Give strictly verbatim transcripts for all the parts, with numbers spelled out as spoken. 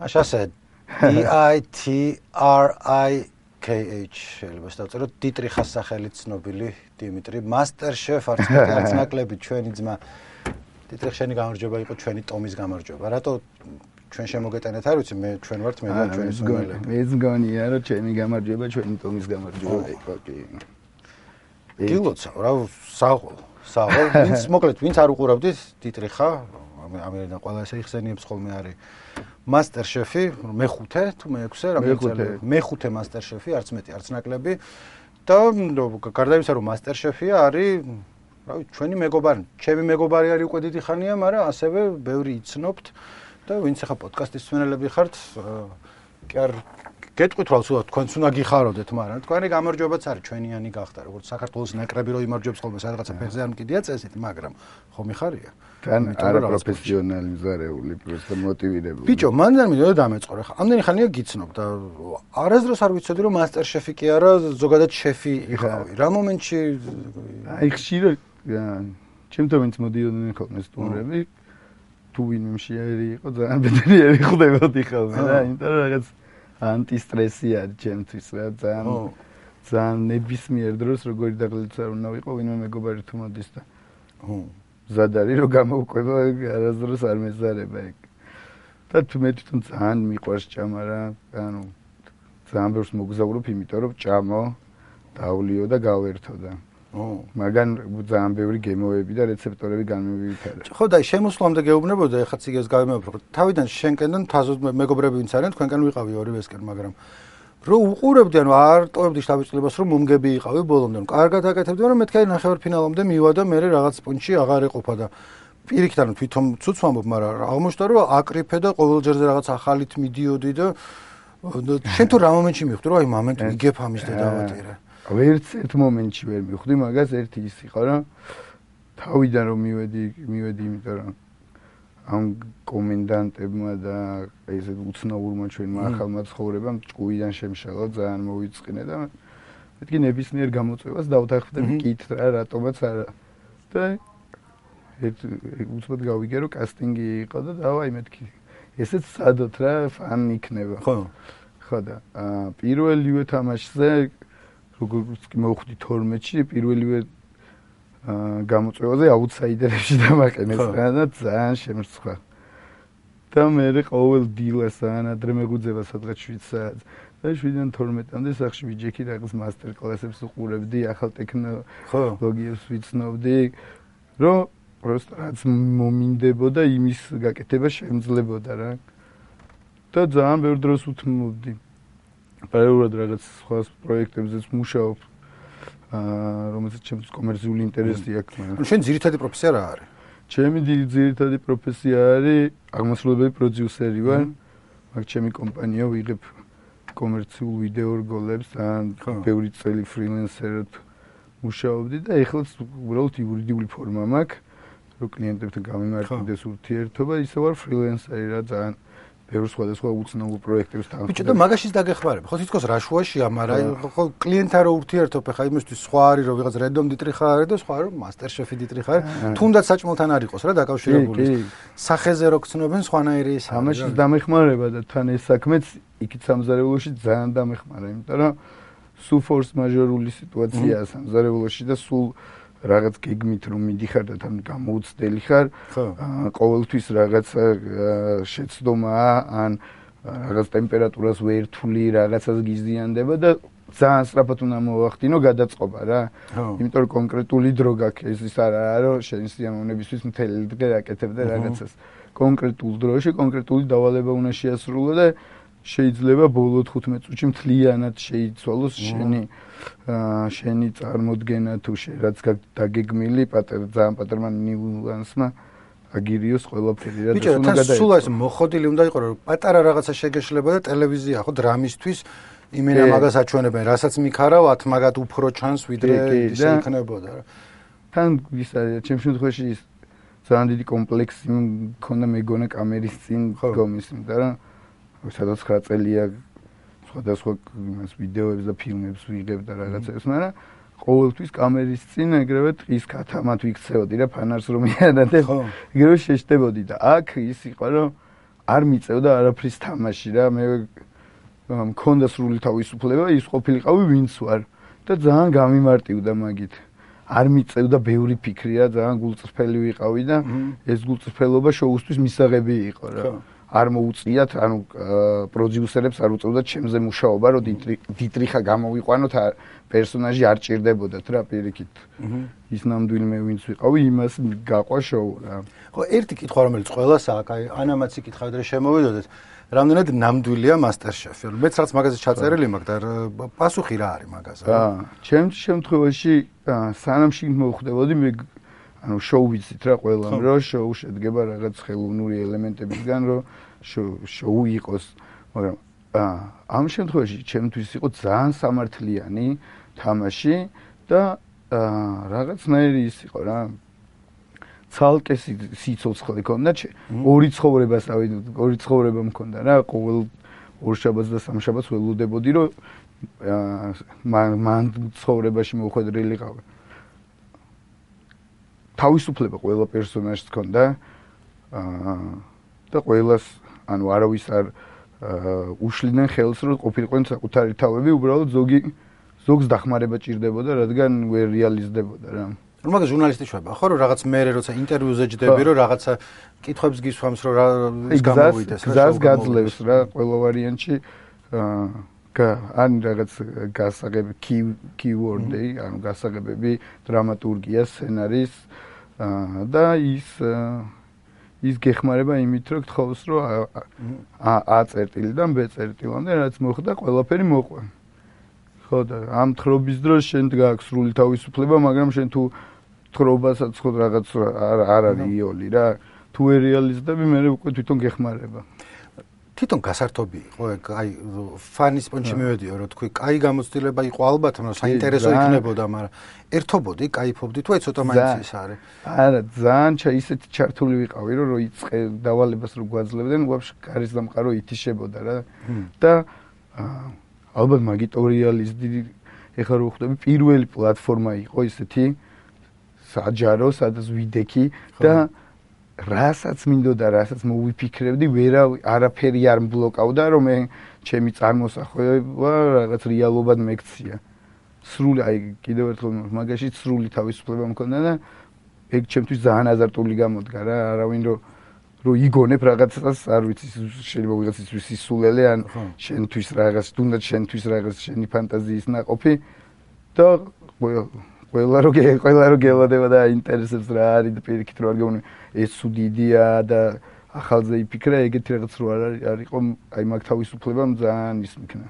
მაშ ასე D I T R I K H შეიძლება დავწეროთ დიტრიხას სახელით ცნობილი დიმიტრი MasterChef არც მეტი არც ნაკლები ჩვენი ძმა დიტრიხ შენი გამარჯვება იყო ჩვენი ტომის გამარჯვება რატო ჩვენ შემოგეტანეთ არ ვიცი მე ჩვენ ვართ მე და ჩვენი სულელები მეც გონია რომ ჩემი გამარჯვება ჩვენი ტომის გამარჯვება იყო კი გილოცა რა საღოლ საღოლ ვინც მოკლედ ვინც არ უყურავდით დიტრიხა ამერიდან ყველა ესე იხსენიებს ხოლმე არის MasterChef-ი მეხუთე თუ მეექვსე რამდენი მეხუთე MasterChef-ი არც მეტი არც ნაკლები და გარდა იმისა რომ MasterChef-ია არის რა ვიცი ჩვენი მეგობარი ჩემი მეგობარი არის უკვე დიდი ხანია მაგრამ ასევე ბევრი იცნობთ და ვინც ახლა პოდკასტის მსმენელები ხართ კი არ გეტყვით რა სულ თქვენც უნდა გიხაროდეთ მაგრამ თქვენი გამარჯვებაც არის ჩვენიანი გახდა როგორც საქართველოს ნაკრები რო იმარჯვებს ხოლმე სადღაცა ფეხზე არ მკიდია წესით მაგრამ ხო მიხარია თან არა პროფესიონალიზარეული პროსტა მოტივირებული ბიჭო მან და მინდოდა დამეწყორო ხა ამდენი ხანია გიცნობ და არასდროს არ ვიცოდი რომ MasterChef-ი კი არა ზოგადად შეფი იყავი რა მომენტში აი ხშირად ჩემთან ვინც მოდიოდნენ ხოლმე სტუმრები თუ ვინმე შეერი იყო ძალიან ბედნიერი ხდებოდი ხოლმე რა იმიტომ რომ რაღაც ანტისტრესი არის ჩემთვის რა ძალიან ძალიან ნებისმიერ დროს როგორი დაღლილიც არ უნდა ვიყო ვინმე მეგობარი თუ მოდის და ხო ზადარი რომ გამოვყვება არასდროს არ მეზარება ეგ და თუ მე თვითონ ძალიან მიყვარს ჭამა რა ანუ ძალიან ბევრს მოგზაურობ იმიტომ რომ ჭამო დავლიო და გავერთო და ო მაგან ძალიან ბევრი გემოები და რეცეპტორები განმევითარა ხო და შემოსვლამდე გეუბნებოდა ეხლა ციგებს გავიმეორებ რომ თავიდან შენკენდან თაზოდ მეგობრები ვინც არიან თქვენკენ ვიყავი ორივესკენ მაგრამ რო უყურებდი ანუ არ ტოვებდი შთაბეჭდილებას რომ მომგები იყავი ბოლომდე რომ კარგად აკეთებდი მაგრამ მეთქე ნახევარფინალამდე მივადა მე რაღაც პუნჩი აღარ ეყოფა და პირიქით ანუ თვითონ ცუც ვამბობ მაგრამ აღმოჩნდა რომ აკრიფე და ყოველ ჯერზე რაღაც ახალით მიდიოდი და შენ თუ რა მომენტში მივხვდი რომ აი მომენტ ვიგებ ამის და დავატირე ვერც ერთ მომენტში ვერ მივხვდი მაგას ერთი ის იყო რომ თავიდან რომ მივედი მივედი იმიტომ რომ ამ კომენდანტებმა და ესე უცნაურმა ჩვენმა ახალმა ცხოვრებამ ჭკუიდან შემშალა ძალიან მოვიწყინე და მეთქი ნებისმიერ გამოწვევას დავთანხმდები კით რა რატომაც არა და ერთ უცბად გავიგე რომ კასტინგი იყო და დავაი მეთქი ესეც სადოთ რა ფან იქნება ხო ხო და პირველივე თამაშზე როგორც კი მოვხვდი თორმეტში პირველივე გამოწვევაზე აუთსაიდერებში დამაყენეს და ძალიან შემრცხვა და მე ყოველ დილას ან ადრე მეგუძება სადღაც შვიდ საათს და შვიდიდან თორმეტამდე სახში ვიჯექი რაღაც მასტერ კლასებს უყურებდი ახალ ტექნოლოგიებს ვიცნობდი რომ просто რაც მომინდებოდა იმის გაკეთება შემძლებოდა რა და ძალიან ბევრ დროს უთმობდი პარალელურად რაღაც სხვა პროექტებზეც მუშაობ აა რომელსაც ჩემს კომერციული ინტერესი აქვს მაგრამ შენ ძირითადი პროფესია რა არის? ჩემი ძირითადი პროფესია არის აღმასრულებელი პროდიუსერი ვარ მაგ ჩემი კომპანია ვიღებ კომერციულ ვიდეო რგოლებს ან ბევრი წელი ფრილენსერად მუშაობდი და ეხლა უბრალოდ იურიდიული ფორმა მაქვს რომ კლიენტებთან გამიმართდეს ურთიერთობა ისე ვარ ფრილენსერი რა ძალიან ბევრ სხვადასხვა უცნაურ პროექტებს თან. ბიჭო და მაგაშიც დაგეხმარებ. ხო თითქოს რა შუაშია, მაგრამ ხო კლიენტთან რო ურთიერთობ, ხა იმისთვის სხვა არის რომ ვიღაც რენდომ დიტრიხა არის და სხვა რომ MasterChef-ი დიტრიხა არის. თუნდაც საჭმელთან არ იყოს რა დაკავშირებული. სახეზე რო გცნობენ სხვანაირი ის. ამაშიც დამეხმარება და თან ეს საქმეც იქით სამზარეულოში ძალიან დამეხმარა, იმიტომ რომ სულ ფორს მაჟორული სიტუაციაა სამზარეულოში და სულ რაღაც გეგმით რომ მიდიხარ და თან გამოუცდელი ხარ, ყოველთვის რაღაც შეცდომაა ან რაღაც ტემპერატურას ვერთული, რაღაცას გიზიანდება და ძალიან სწრაფად უნდა მოვახდინო გადაწყობა რა. იმიტომ რომ კონკრეტული დრო გაქვს, ის არაა რომ შენ სიამოვნებისთვის მთელი დღე აკეთებდე რაღაცას. კონკრეტულ დროში კონკრეტული დავალება უნდა შეასრულო და შეიძლება ბოლო თხუთმეტ წუთში მთლიანად შეიცვალოს შენი შენი წარმოდგენა თუ რაც დაგეგმილი პატარ ძალიან პატერმა ნიუანსმა აგირიოს ყველაფერი რა და უნდა გადაიწყო. ბიჭო, სულ ეს მოხოდილი უნდა იყოს რომ პატარა რაღაცა შეგეშლება და ტელევიზია ხო დრამისთვის იმენა მაგას აჩვენებენ, რასაც მიქარავთ, მაგათ უფრო ჩანს ვიდრე ისე იქნებოდა რა. თან ის არის ჩემს შემთხვევაში ძალიან დიდი კომპლექსი მქონდა მეგონა კამერის წინ გომის, იმიტომ რომ სადაც ცხრა წელია სხვადასხვა იმას ვიდეოებს და ფილმებს ვიღებ და რაღაცებს, მაგრამ ყოველთვის კამერის წინ ეგრევე ტყის ქათამად ვიქცეოდი რა ფანარს რომ მიანადებ, ეგრევე შეშდებოდი და აქ ის იყო რომ არ მიწევდა არაფრის თამაში რა მე მქონდა სრული თავისუფლება ის ყოფილიყავი ვინც ვარ და ძალიან გამიმარტივდა მაგით არ მიწევდა ბევრი ფიქრი რა ძალიან გულწრფელი ვიყავი და ეს გულწრფელობა შოუსთვის მისაღები იყო რა არ მოუწიათ ანუ პროდიუსერებს არ უწევდათ ჩემზე მუშაობა რომ დიტრიხა გამოვიყვანოთ პერსონაჟი არ ჭირდებოდათ რა პირიქით ის ნამდვილი მე ვინც ვიყავი იმას გაყვა შოუ რა ხო ერთი კითხვა რომელიც ყველას აქვს აი ანამაც იკითხავთ რა შემოვიდოდეთ რამდენად ნამდვილია MasterChef-ი მეც რაც მაგაზე ჩაწერილი მაქვს და პასუხი რა არის მაგაზე აა ჩემს შემთხვევაში სანამ შიგ მოვხდებოდი მე ანუ შოუ ვიცით რა ყველამ რომ შოუ შედგება რაღაც ხელოვნური ელემენტებისგან რომ შოუ იყოს მაგრამ ამ შემთხვევაში ჩემთვის იყო ძალიან სამართლიანი თამაში და რაღაცნაირი ის იყო რა ცალკე სიცოცხლე ქონდა ორი ცხოვრებას ავი ორი ცხოვრება მქონდა რა ყოველ ორ შაბათს და სამ შაბათს ველოდებოდი რომ მან ცხოვრებაში მოხვედრილიყავი თავისუფლება ყველა პერსონაჟს ქონდა და ყველას ანუ არავის არ უშლიდნენ ხელს რომ ყოფილიყვნენ საკუთარი თავები უბრალოდ ზოგი ზოგს დახმარება ჭირდებოდა რადგან ვერ რეალიზდებოდა რა რომ მაგას ჟურნალისტი შვება ხო რომ რაღაც მერე როცა ინტერვიუზე ჯდები რომ რაღაცა კითხვებს გისვამს რომ რა ის გამოვიდეს რა გზას გაძლევს რა ყველა ვარიანტში ან რაღაც გასაღები keyword-ი ანუ გასაღებები დრამატურგია სცენარის და ის ის გეხმარება იმით რომ გთხოვს რომ A წერტილიდან B წერტილამდე რაც მოხდა ყველაფერი მოყვე ხო და ამ თხრობის დროს შენ გაქვს სრული თავისუფლება მაგრამ შენ თუ თხრობასაც ხო რაღაც არ არის იოლი რა თუ ვერ რეალიზდები მე უკვე თვითონ გეხმარება თვითონ გასართობი იყო აი ფანის პონჩი მივედიო რომ თქვი კაი გამოცდილება იყო ალბათ მაგრამ საინტერესო იქნებოდა მაგრამ ერთობოდი кайფობდი თუ აი ცოტა მაინც ის არის არა ძალიან ისეთი ჩართული ვიყავი რომ რო იწყე დავალებას რო გვაძლევდნენ ვაფშე გარის დამყარო ითიშებოდა რა და ალბათ მაგიტო რეალიზდი ეხლა რო ხვდები პირველი პლატფორმა იყო ისეთი საჯარო სადაც ვიდექი და რასაც მინდოდა რასაც მოვიფიქრებდი ვერა არაფერი არ მბლოკავდა რომ მე ჩემი წარმოსახვევა რაღაც რეალობად მეკცია სრული აი კიდევ ერთხელ მაგაში სრული თავისუფლება მქონდა და ეგ ჩემთვის ძალიან აზარტული გამოდგა რა არავინ რომ რომ იგონებ რაღაცას არ ვიცი შეიძლება ვიღაცისთვის ისულელე ან შენთვის რაღაც თუნდაც შენთვის რაღაც შენი ფანტაზიის ნაყოფი და ყველა რო ყველა რო გელოდება და ინტერესებს რა არის და პირიქით რო არ გეუბნები ეს სუდიდია და ახალზე იფიქრა ეგეთი რაღაც რო არ არისო აი მაგ თავისუფლებამ ძალიან ის მქნა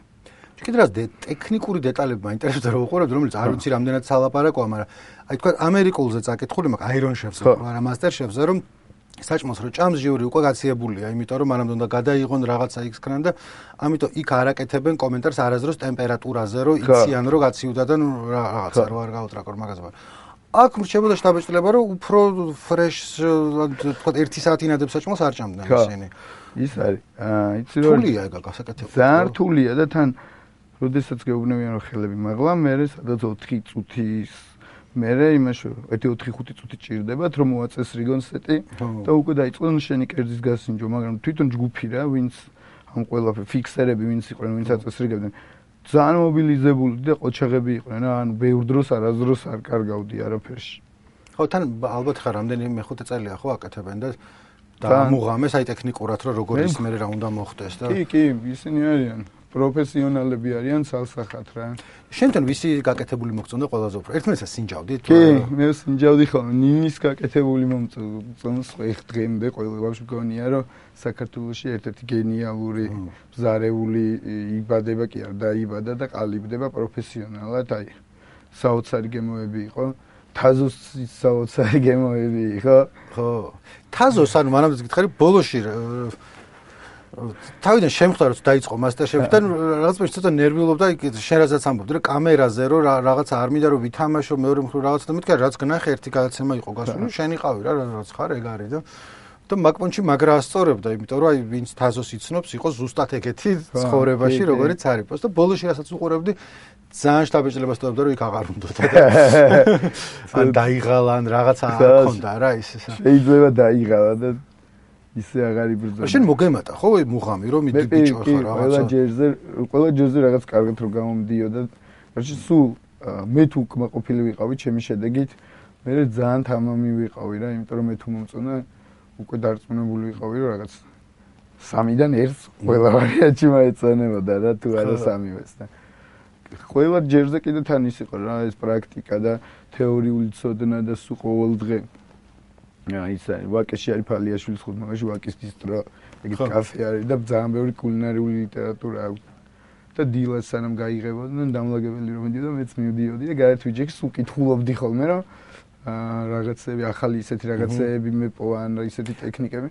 კიდე რაც ტექნიკური დეტალები მაინტერესებდა რომ უყურებთ რომელიც არ ვიცი რამდენად სალაპარაკოა მაგრამ აი თქვა ამერიკულზე წაკითხული მაქვს Iron Chef-ზე არა Master Chef-ზე რომ საჭმოს რო ჭამს ჟიური უკვე გაციებულია იმიტომ რომ მანამდე უნდა გადაიღონ რაღაცა იქ-კან და ამიტომ იქ არაკეთებენ კომენტარს არასდროს ტემპერატურაზე რომ იციან რომ გაციუდა და რაღაცა რო არ გაუტრაკო მაგაზე აქ რჩებოდა შტაბეჭდილება რომ უფრო ფრეშ თქვა ერთი საათი ინადებს საჭმოს არ ჭამდნენ ისინი ის არის აა იცი რომ რთულია ეგ გასაკეთებელი ძალიან რთულია და თან როდესაც გეუბნებიან რომ ხელები მაღლა მე სადაც ოთხი წუთის მერე იმაში ერთი ოთხი ხუთი წუთი ჭირდებათ რომ მოაწესრიგონ სეტი და უკვე დაიწყონ შენი კერძის გასინჯვა მაგრამ თვითონ ჯგუფი რა ვინც ამ ყველაფერ ფიქსერები ვინც იყვნენ ვინც აწესრიგებდნენ ძალიან მობილიზებული და ყოჩაღები იყვნენ რა ანუ ბევრ დროს არასდროს არ კარგავდი არაფერში ხო თან ალბათ ხარ რამდენი მეხუთე წელია ხო აკეთებენ და და მუღამეს აი ტექნიკურად რომ როგორ ის მერე რა უნდა მოხდეს და კი კი ისინი არიან პროფესიონალები არიან ცალსახად რა. შენთან ვისი გაკეთებული მოგწონდა ყველაზე უფრო? ერთმანეთს სინჯავდით? კი, მე სინჯავდი ხოლმე. ნინის გაკეთებული მომწონს ხ დღემდე ყველა ვაფშე მგონია რომ საქართველოში ერთ-ერთი გენიალური მზარეული იბადება კი არ დაიბადა და ყალიბდება პროფესიონალად, აი საოცარი გემოები იყო. თაზოს საოცარი გემოები იყო. ხო. თაზოს ანუ მანამდე გითხარი ბოლოში თავიდან შემხვდა რომ დაიწყო MasterChef-დან რაღაც პერიოდში ცოტა ნერვიულობდა შენ რასაც ამბობდი რომ კამერაზე რომ რაღაცა არ მინდა რომ ვითამაშო მეორე მხრივ რაღაცა და მეთქარი რაც გნახე ერთი გადაცემა იყო გასული შენ იყავი რა რაც ხარ ეგ არის და და მაგპონჩი მაგრა ასწორებდა იმიტომ რომ აი ვინც თაზოს იცნობს იყო ზუსტად ეგეთი ცხოვრებაში როგორიც არის და ბოლოში რასაც უყურებდი ძალიან შტაბეჭდილებას დავდა რომ იქ აღარ უნდოდა და ან დაიღალა ან რაღაცა არ ქონდა რა ის შეიძლება დაიღალა და ისე აღარ იბრძოდა. შენ მოგემატა ხო მუღამი რომ მიდი ბიჭო ხარ რაღაცა. ყველა ჯერზე ყველა ჯერზე რაღაც კარგად რო გამომდიოდა. რაში სულ მე თუ კმაყოფილი ვიყავი ჩემი შედეგით, მე ძალიან თამამი ვიყავი რა, იმიტომ რომ მე თუ მომწონა უკვე დარწმუნებული ვიყავი რომ რაღაც სამიდან ერთს ყველა ვარიანტი მაეცანებოდა რა თუ არა სამივეს და ყველა ჯერზე კიდე თან ის იყო რა ეს პრაქტიკა და თეორიული ცოდნა და სულ ყოველ დღე აი ეს ვაკეში არის ფალიაშვილის ხუთმაღაში ვაკის ბისტრო ეგ კაფე არის და ძალიან ბევრი კულინარიული ლიტერატურა აქვს და დილას სანამ გაიღებოდნენ დამლაგებელი რომ მიდიოდა მეც მივდიოდი და გარეთ ვიჯექი სულ კითხულობდი ხოლმე რომ აა რაღაცები ახალი ისეთი რაღაცეები მეპოვა ან ისეთი ტექნიკები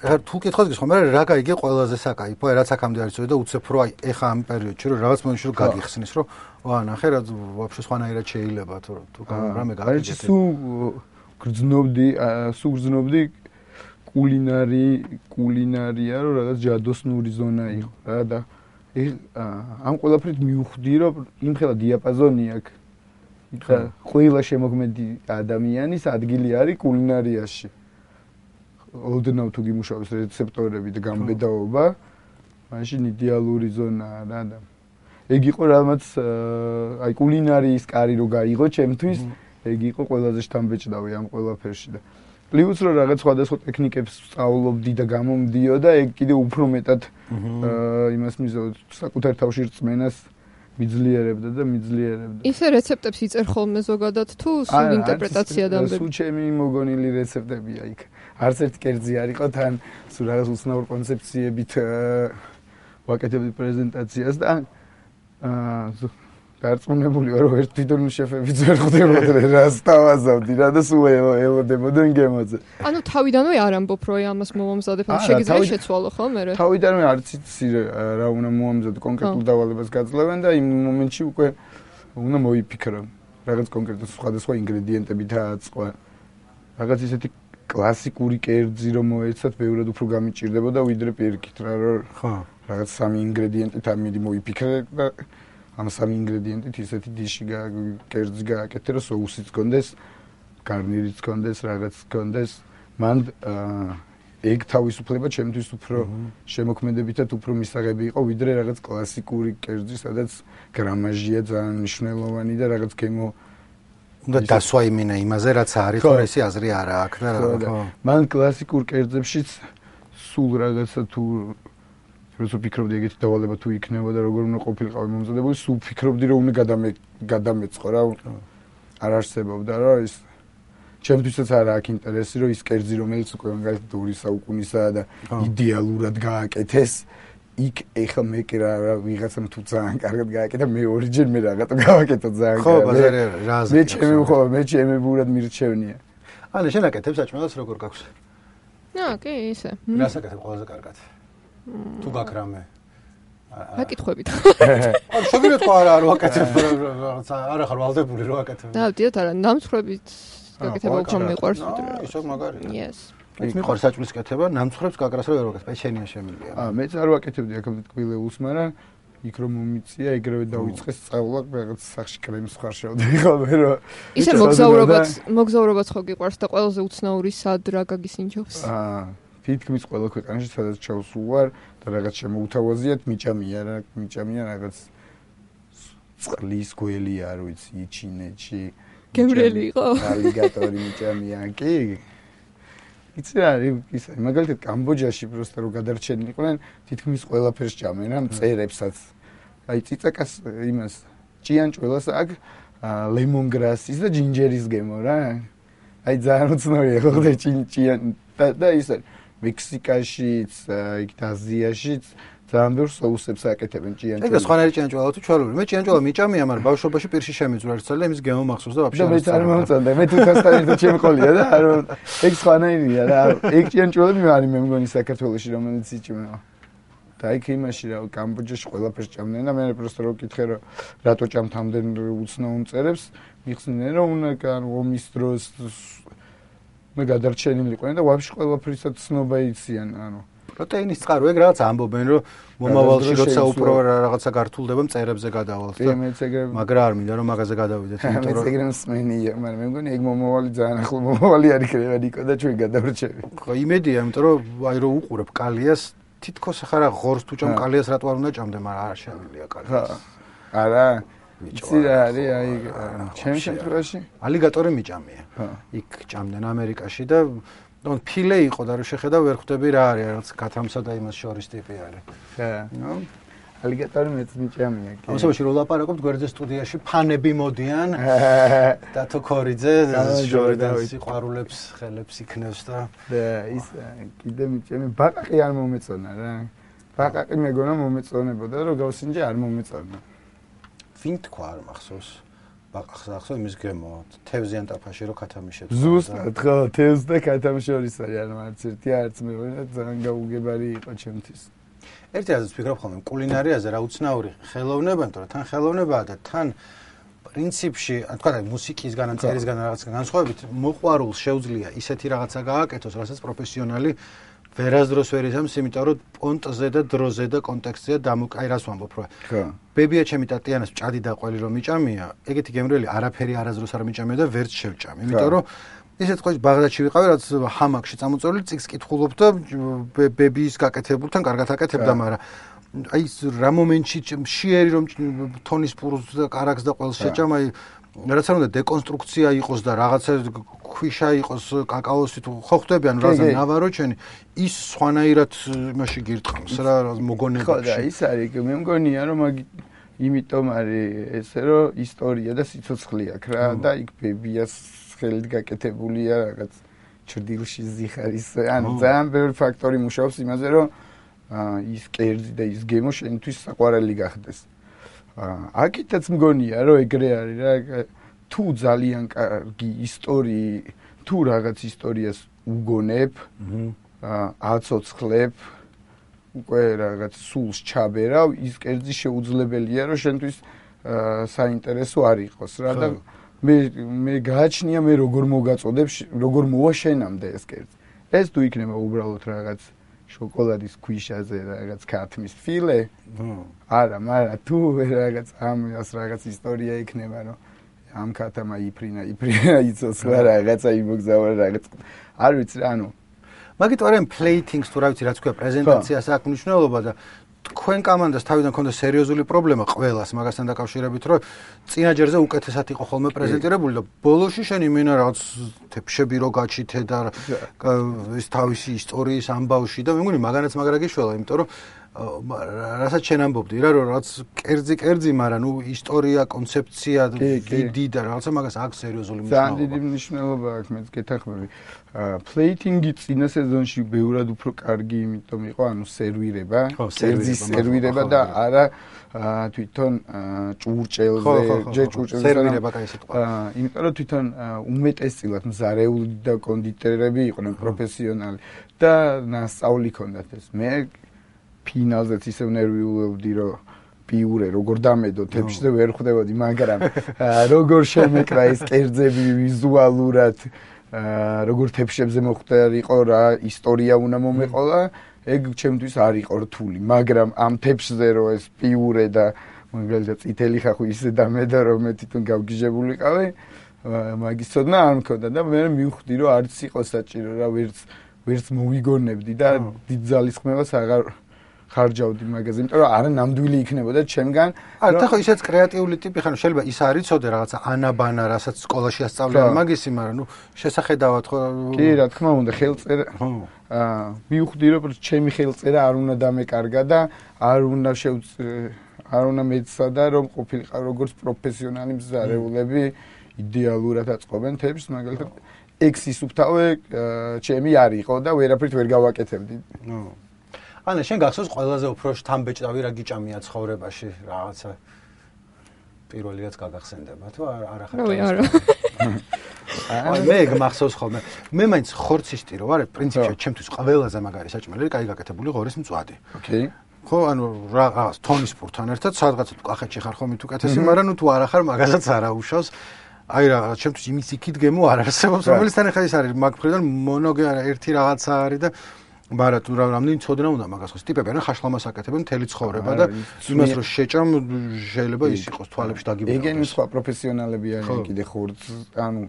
რა თუ კითხავს გიხომ მე რა გაიგე ყველაზე საკაიფო რაც აქამდე არის წოდი და უცებ რო აი ეხა ამ პერიოდში რომ რაღაც მომენტში რომ გაგიხსნის რომ ვა ნახე რა ვაფშე სხვანაირად შეიძლება თუ თუ რამე გაიგე სუ გრძნობდი სუ გრძნობდი კულინარი კულინარია რომ რაღაც ჯადოსნური ზონა იყო რა და ამ ყველაფრით მივხვდი რომ იმხელა დიაპაზონი აქვს და ყველა შემოქმედი ადამიანის ადგილი არის კულინარიაში ოდნავ თუ გიმუშავებს რეცეპტორები და გამბედაობა, მაშინ იდეალური ზონაა რა და ეგ იყო რამაც აი კულინარიის კარი რო გაიღო ჩემთვის, ეგ იყო ყველაზე შთამბეჭდავი ამ ყველაფერში და პლუს რო რაღაც სხვადასხვა ტექნიკებს სწავლობდი და გამომდიოდა, ეგ კიდე უფრო მეტად იმას მიზავდა საკუთარ თავში რწმენას მიძლიერებდა და მიძლიერებდა. ისე რეცეპტებს იწერ ხოლმე ზოგადად თუ სულ ინტერპრეტაცია დამბები? სულ ჩემი მოგონილი რეცეპტებია იქ. არც ერთ კერძი არ იყო თან სულ რაღაც უცნაურ კონცეფციებით ვაკეთებდი პრეზენტაციას და აა დარწმუნებული ვარ რომ ერთ თვითონ შეფებიც ვერ ხვდებოდნენ რას თავაზავდი რა და სულ ელოდებოდნენ გემოძე. ანუ თავიდანვე არ ამბობ რომ ამას მომამზადებ ან შეგიძლია შეცვალო ხო მე? თავიდანვე არც იცი რა უნდა მომამზადო კონკრეტულ დავალებას გაძლევენ და იმ მომენტში უკვე უნდა მოიფიქრო რაღაც კონკრეტულ სხვადასხვა ინგრედიენტები დააწყვა. რაღაც ისეთი კლასიკური კერძი რომ მოეცათ ბევრად უფრო გამიჭირდებოდა ვიდრე პირიქით რა რომ ხო რაღაც სამი ინგრედიენტით ამიდი მოიფიქრე და ამ სამი ინგრედიენტით ისეთი დიში კერძი გააკეთე რომ соусიც გქონდეს გარნირიც გქონდეს რაღაც გქონდეს მან ეგ თავისუფლება ჩემთვის უფრო შემოქმედებითად უფრო მისაღები იყო ვიდრე რაღაც კლასიკური კერძი სადაც გრამაჟია ძალიან მნიშვნელოვანი და რაღაც გემო უნდა დასვა იმინა იმაზე რაც არის ხო ესი აზრი არა აქვს და ხო მან კლასიკურ კერძებშიც სულ რაღაცა თუ როცა ფიქრობდი ეგეთი დავალება თუ იქნება და როგორ უნდა ყოფილიყავი მომზადებული სულ ფიქრობდი რომ უნდა გადამე გადამეწყო რა არ არსებობდა რა ის ჩემთვისაც არა აქვს ინტერესი რომ ის კერძი რომელიც უკვე მაგალითად ორი საუკუნისაა და იდეალურად გააკეთეს იქ ეხა მე კი რა ვიღაცამ თუ ძალიან კარგად გააკეთა მე ორიჯერ მე რაღაცა გავაკეთო ძალიან კარგად. ხო, ბაზარი რაზე. მე ჩემი ხო მე ჩემი ბურად მირჩევნია. ანუ შენ აკეთებს საჭმელს როგორ გაქვს? აა, კი, ისე. რას აკეთებ ყველაზე კარგად? თუ გაქრამე. აკითხებით. ანუ შეგიძლია თქვა არა არ ვაკეთებ რაღაცა არა ხარ ვალდებული რო აკეთებ. დავდიოთ არა ნამცხრებით გაკეთება უფრო მიყვარს ვიდრე. ისო მაგარია. Yes. მეც მიყვარს საჭმლის კეთება, ნამცხრებს გაკრას რო ვერ ვაკეთებ, პეჩენია შემილია. აა მეც არ ვაკეთებდი აქამდე ტკბილეულს, მაგრამ იქ რომ მომიწია, ეგრევე დავიწყეს სწავლა, რაღაც სახში კრემს ხარშავდი ხოლმე რომ ისე მოგზაურობაც, მოგზაურობაც ხო გიყვარს და ყველაზე უცნაური სად რა გაგისინჯობს? აა თითქმის ყველა ქვეყანაში სადაც ჩავსულ ვარ და რაღაც შემოუთავაზიათ, მიჭამია რა, მიჭამია რაღაც წყლის გველი არ ვიცი, ჩინეთში. გემრიელი იყო? ალიგატორი მიჭამია, კი. იცი რა, ის მაგალითად კამბოჯაში პროსტა რო გადარჩენილიყვნენ, თითქმის ყველაფერს ჭამენ, რა, მწერებსაც. აი ციცაკას იმას ჭიანჭველას აქვს ლემონგრასის და ჯინჯერის გემო რა. აი ძალიან უცნაურია ხო და ჭიან და ისე მექსიკაშიც, იქ აზიაშიც ძალიან ბევრ соусებს აკეთებენ ჭიანჭველს. ეგ სხვანაირი ჭიანჭველა თუ ჩვეულებრივი. მე ჭიანჭველა მიჭამია, მაგრამ ბავშვობაში პირში შემიძვრა ერთხელ და იმის გემო მახსოვს და ვაფშე არ მეც არ მომწონდა. მე თვითონ და ჩემი ყოლია და არ ეგ სხვანაირია რა. ეგ ჭიანჭველები არის მე მგონი საქართველოში რომელიც იჭმევა. და იქ იმაში რა კამბოჯაში ყველაფერს ჭამდნენ და მე პროსტო რო კითხე რომ რატო ჭამთ ამდენ უცნაურ მწერებს, მიხსნიდნენ რომ უნდა ანუ ომის დროს მე გადარჩენილიყვნენ და ვაფშე ყველაფრისაც ცნობა იციან ანუ პროტეინის წყარო ეგ რაღაც ამბობენ რომ მომავალში როცა უფრო რაღაცა გართულდება მწერებზე გადავალთ და მაგრამ არ მინდა რომ მაგაზე გადავიდეთ იმიტომ რომ ეგრე მსმენია მაგრამ მე მგონი ეგ მომავალი ძალიან ახლო მომავალი არის ქრება ნიკო და ჩვენ გადავრჩები ხო იმედია იმიტომ რომ აი რომ უყურებ კალიას თითქოს ახლა რა ღორს თუ ჭამ კალიას რატო არ უნდა ჭამდე მაგრამ არ შემიძლია კალია არა იცი რა არის აი ჩემ შემთხვევაში ალიგატორი მიჭამია იქ ჭამდნენ ამერიკაში და ნუ ფილე იყო და რო შეხედა ვერ ხვდები რა არის რაღაც გათამსა და იმას შორის ტიპი არის ხა ნუ ალიგატორი მეც მიჭამია კი ამასობაში რო ლაპარაკობთ გვერდზე სტუდიაში ფანები მოდიან და თო ქორიძე ჟორიდან სიყვარულებს ხელებს იქნევს და და ის კიდე მიჭამი ბაყაყი არ მომეწონა რა ბაყაყი მეგონა მომეწონებოდა რომ გავსინჯე არ მომეწონა ვინ თქვა არ მახსოვს ბაყაყს ახსოვს იმის გემო თევზიან ტაფაში რო ქათამიშებს ზუსტად ხო თევზ და ქათამი შორის არის ანუ არც ერთი არც მეორე და ძალიან გაუგებარი იყო ჩემთვის ერთი აზრით ვფიქრობ ხოლმე კულინარიაზე რა უცნაური ხელოვნება იმიტომ რომ თან ხელოვნებაა და თან პრინციპში თქვა და მუსიკისგან ან წერისგან რაღაცა განსხვავებით მოყვარულს შეუძლია ისეთი რაღაცა გააკეთოს რასაც პროფესიონალი ვერასდროს ვერ იცავს, იმიტომ რომ პონტზე და დროზე და კონტექსტზე დამოკაი რას ვამბობ რა. ხო. ბებია ჩემი ტატიანას ჭადი და ყველი რომ მიჭამია, ეგეთი გემრიელი არაფერი არასდროს არ მიჭამია და ვერც შევჭამი. იმიტომ რომ ისეთ ყოველ ბაღდადში ვიყავი, რაც ჰამაკში წამოწეული წიგს კითხულობ და ბებიის გაკეთებულთან კარგად აკეთებდა, მაგრამ აი რა მომენტში შეერი რომ თონის პურს და კარაქს და ყველს შეჭამ, აი რაც არ უნდა დეკონსტრუქცია იყოს და რაღაცა ქვიშა იყოს კაკაოსი თუ ხო ხდებიან რაღაცა ნავაროჩენი ის სხვანაირად იმაში გირტყამს რა მოგონებაში ხო და ის არის მე მგონია რომ იმიტომ არის ესე რომ ისტორია და სიცოცხლე აქვს რა და იქ ბებიას ხელით გაკეთებულია რაღაც ჭრდილში ზიხარის ანუ ძალიან ბევრი ფაქტორი მუშაობს იმაზე რომ ის კერძი და ის გემო შენთვის საყვარელი გახდეს აკითაც მგონია რომ ეგრე არის რა თუ ძალიან კარგი ისტორია თუ რაღაც ისტორიას უგონებ აცოცხლებ უკვე რაღაც სულს ჩაბერავ ის კერძი შეუძლებელია რომ შენთვის საინტერესო არ იყოს რა და მე მე გააჩნია მე როგორ მოგაწოდებ როგორ მოვა შენამდე ეს კერძი ეს თუ იქნება უბრალოდ რაღაც შოკოლადის ქვიშაზე რაღაც ქათმის ფილე არა მაგრამ თუ რაღაც ამას რაღაც ისტორია იქნება რომ ამ ქათამა იფრინა იფრინა იცოცხლა რაღაცა იმოგზაურა რაღაც არ ვიცი რა ანუ მაგით ვარენ პლეიტინგს თუ რა ვიცი რაც ქვია პრეზენტაციას აქვს მნიშვნელობა და თქვენ კომანდას თავიდან ქონდა სერიოზული პრობლემა ყველას მაგასთან დაკავშირებით რომ წინაჯერზე უკეთესად იყო ხოლმე პრეზენტირებული და ბოლოში შენ იმენა რაღაც თეფშები რო გაჩითე და ის თავისი ისტორიის ამბავში და მე მგონი მაგანაც მაგრა გიშველა იმიტომ რომ რასაც შენ ამბობდი რა რომ რაც კერძი კერძი მაგრამ ნუ ისტორია კონცეფცია დიდი და რაღაცა მაგას აქვს სერიოზული მნიშვნელობა ძალიან დიდი მნიშვნელობა აქვს მეც გეთახმები პლეიტინგი წინა სეზონში ბევრად უფრო კარგი იმიტომ იყო ანუ სერვირება კერძის სერვირება და არა თვითონ ჭურჭელზე ჯერ ჭურჭელზე სერვირება კაი სიტყვა იმიტომ რომ თვითონ უმეტესწილად მზარეული და კონდიტერები იყვნენ პროფესიონალი და ნასწავლი ჰქონდათ ეს მე ფინალზეც ისევ ნერვიულობდი რომ პიურე როგორ დამედო თეფშზე ვერ ხვდებოდი მაგრამ როგორ შემეკრა ეს კერძები ვიზუალურად როგორ თეფშებზე მოხდარიყო რა ისტორია უნდა მომეყოლა ეგ ჩემთვის არ იყო რთული მაგრამ ამ თეფშზე რო ეს პიურე და მაგალითად წითელი ხახვი ისე დამედო რომ მე თვითონ გავგიჟებულიყავი მაგის ცოდნა არ მქონდა და მე მივხვდი რომ არც იყო საჭირო რა ვერც ვერც მოვიგონებდი და დიდ ძალისხმევას აღარ ხარჯავდი მაგაზე, იმიტომ რომ არა ნამდვილი იქნებოდა ჩემგან. არა, ეხლა ისეც კრეატიული ტიპი ხარ, შეიძლება ის არ იცოდე რაღაცა ანაბანა, რასაც სკოლაში ასწავლიან მაგისი, მაგრამ ნუ შესახედავად ხო კი, რა თქმა უნდა, ხელწერა. აა, მივხვდი რომ ჩემი ხელწერა არ უნდა დამეკარგა და არ უნდა არ უნდა მეცადა რომ ყოფილიყავ როგორც პროფესიონალი მზარეულები იდეალურად აწყობენ თეფს, მაგალითად ექსის უფთავე ჩემი არ იყო და ვერაფრით ვერ გავაკეთებდი. ნუ ანა შენ გახსოვს ყველაზე უფრო შთამბეჭდავი რა გიჭამია ცხოვრებაში რაღაცა პირველი რაც გაგახსენდება თუ არა ხარ რა არა აი მე გახსოვს ხოლმე მე მაინც ხორცისტი რო ვარ პრინციპში ჩემთვის ყველაზე მაგარი საჭმელი კაი გაკეთებული ღორის მწვადი ოკეი ხო ანუ რაღაც თონის პურთან ერთად სადღაც თუ კახეთში ხარ ხომ თუ კეთესი მაგრამ ნუ თუ არა ხარ მაგასაც არა უშავს აი რა ჩემთვის იმის იქით გემო არ არსებობს რომელთან ახლა ის არის მაგ მხრიდან მონოგე არა ერთი რაღაცა არის და მაგრამ თუ რამდენი ცოდნა უნდა მაგას ხოს ტიპები არიან ხაშლამას აკეთებენ მთელი ცხოვრება და იმას რომ შეჭამ შეიძლება ის იყოს თვალებში დაგიბერავდეს. ეგენი სხვა პროფესიონალები არიან კიდე ხორც ანუ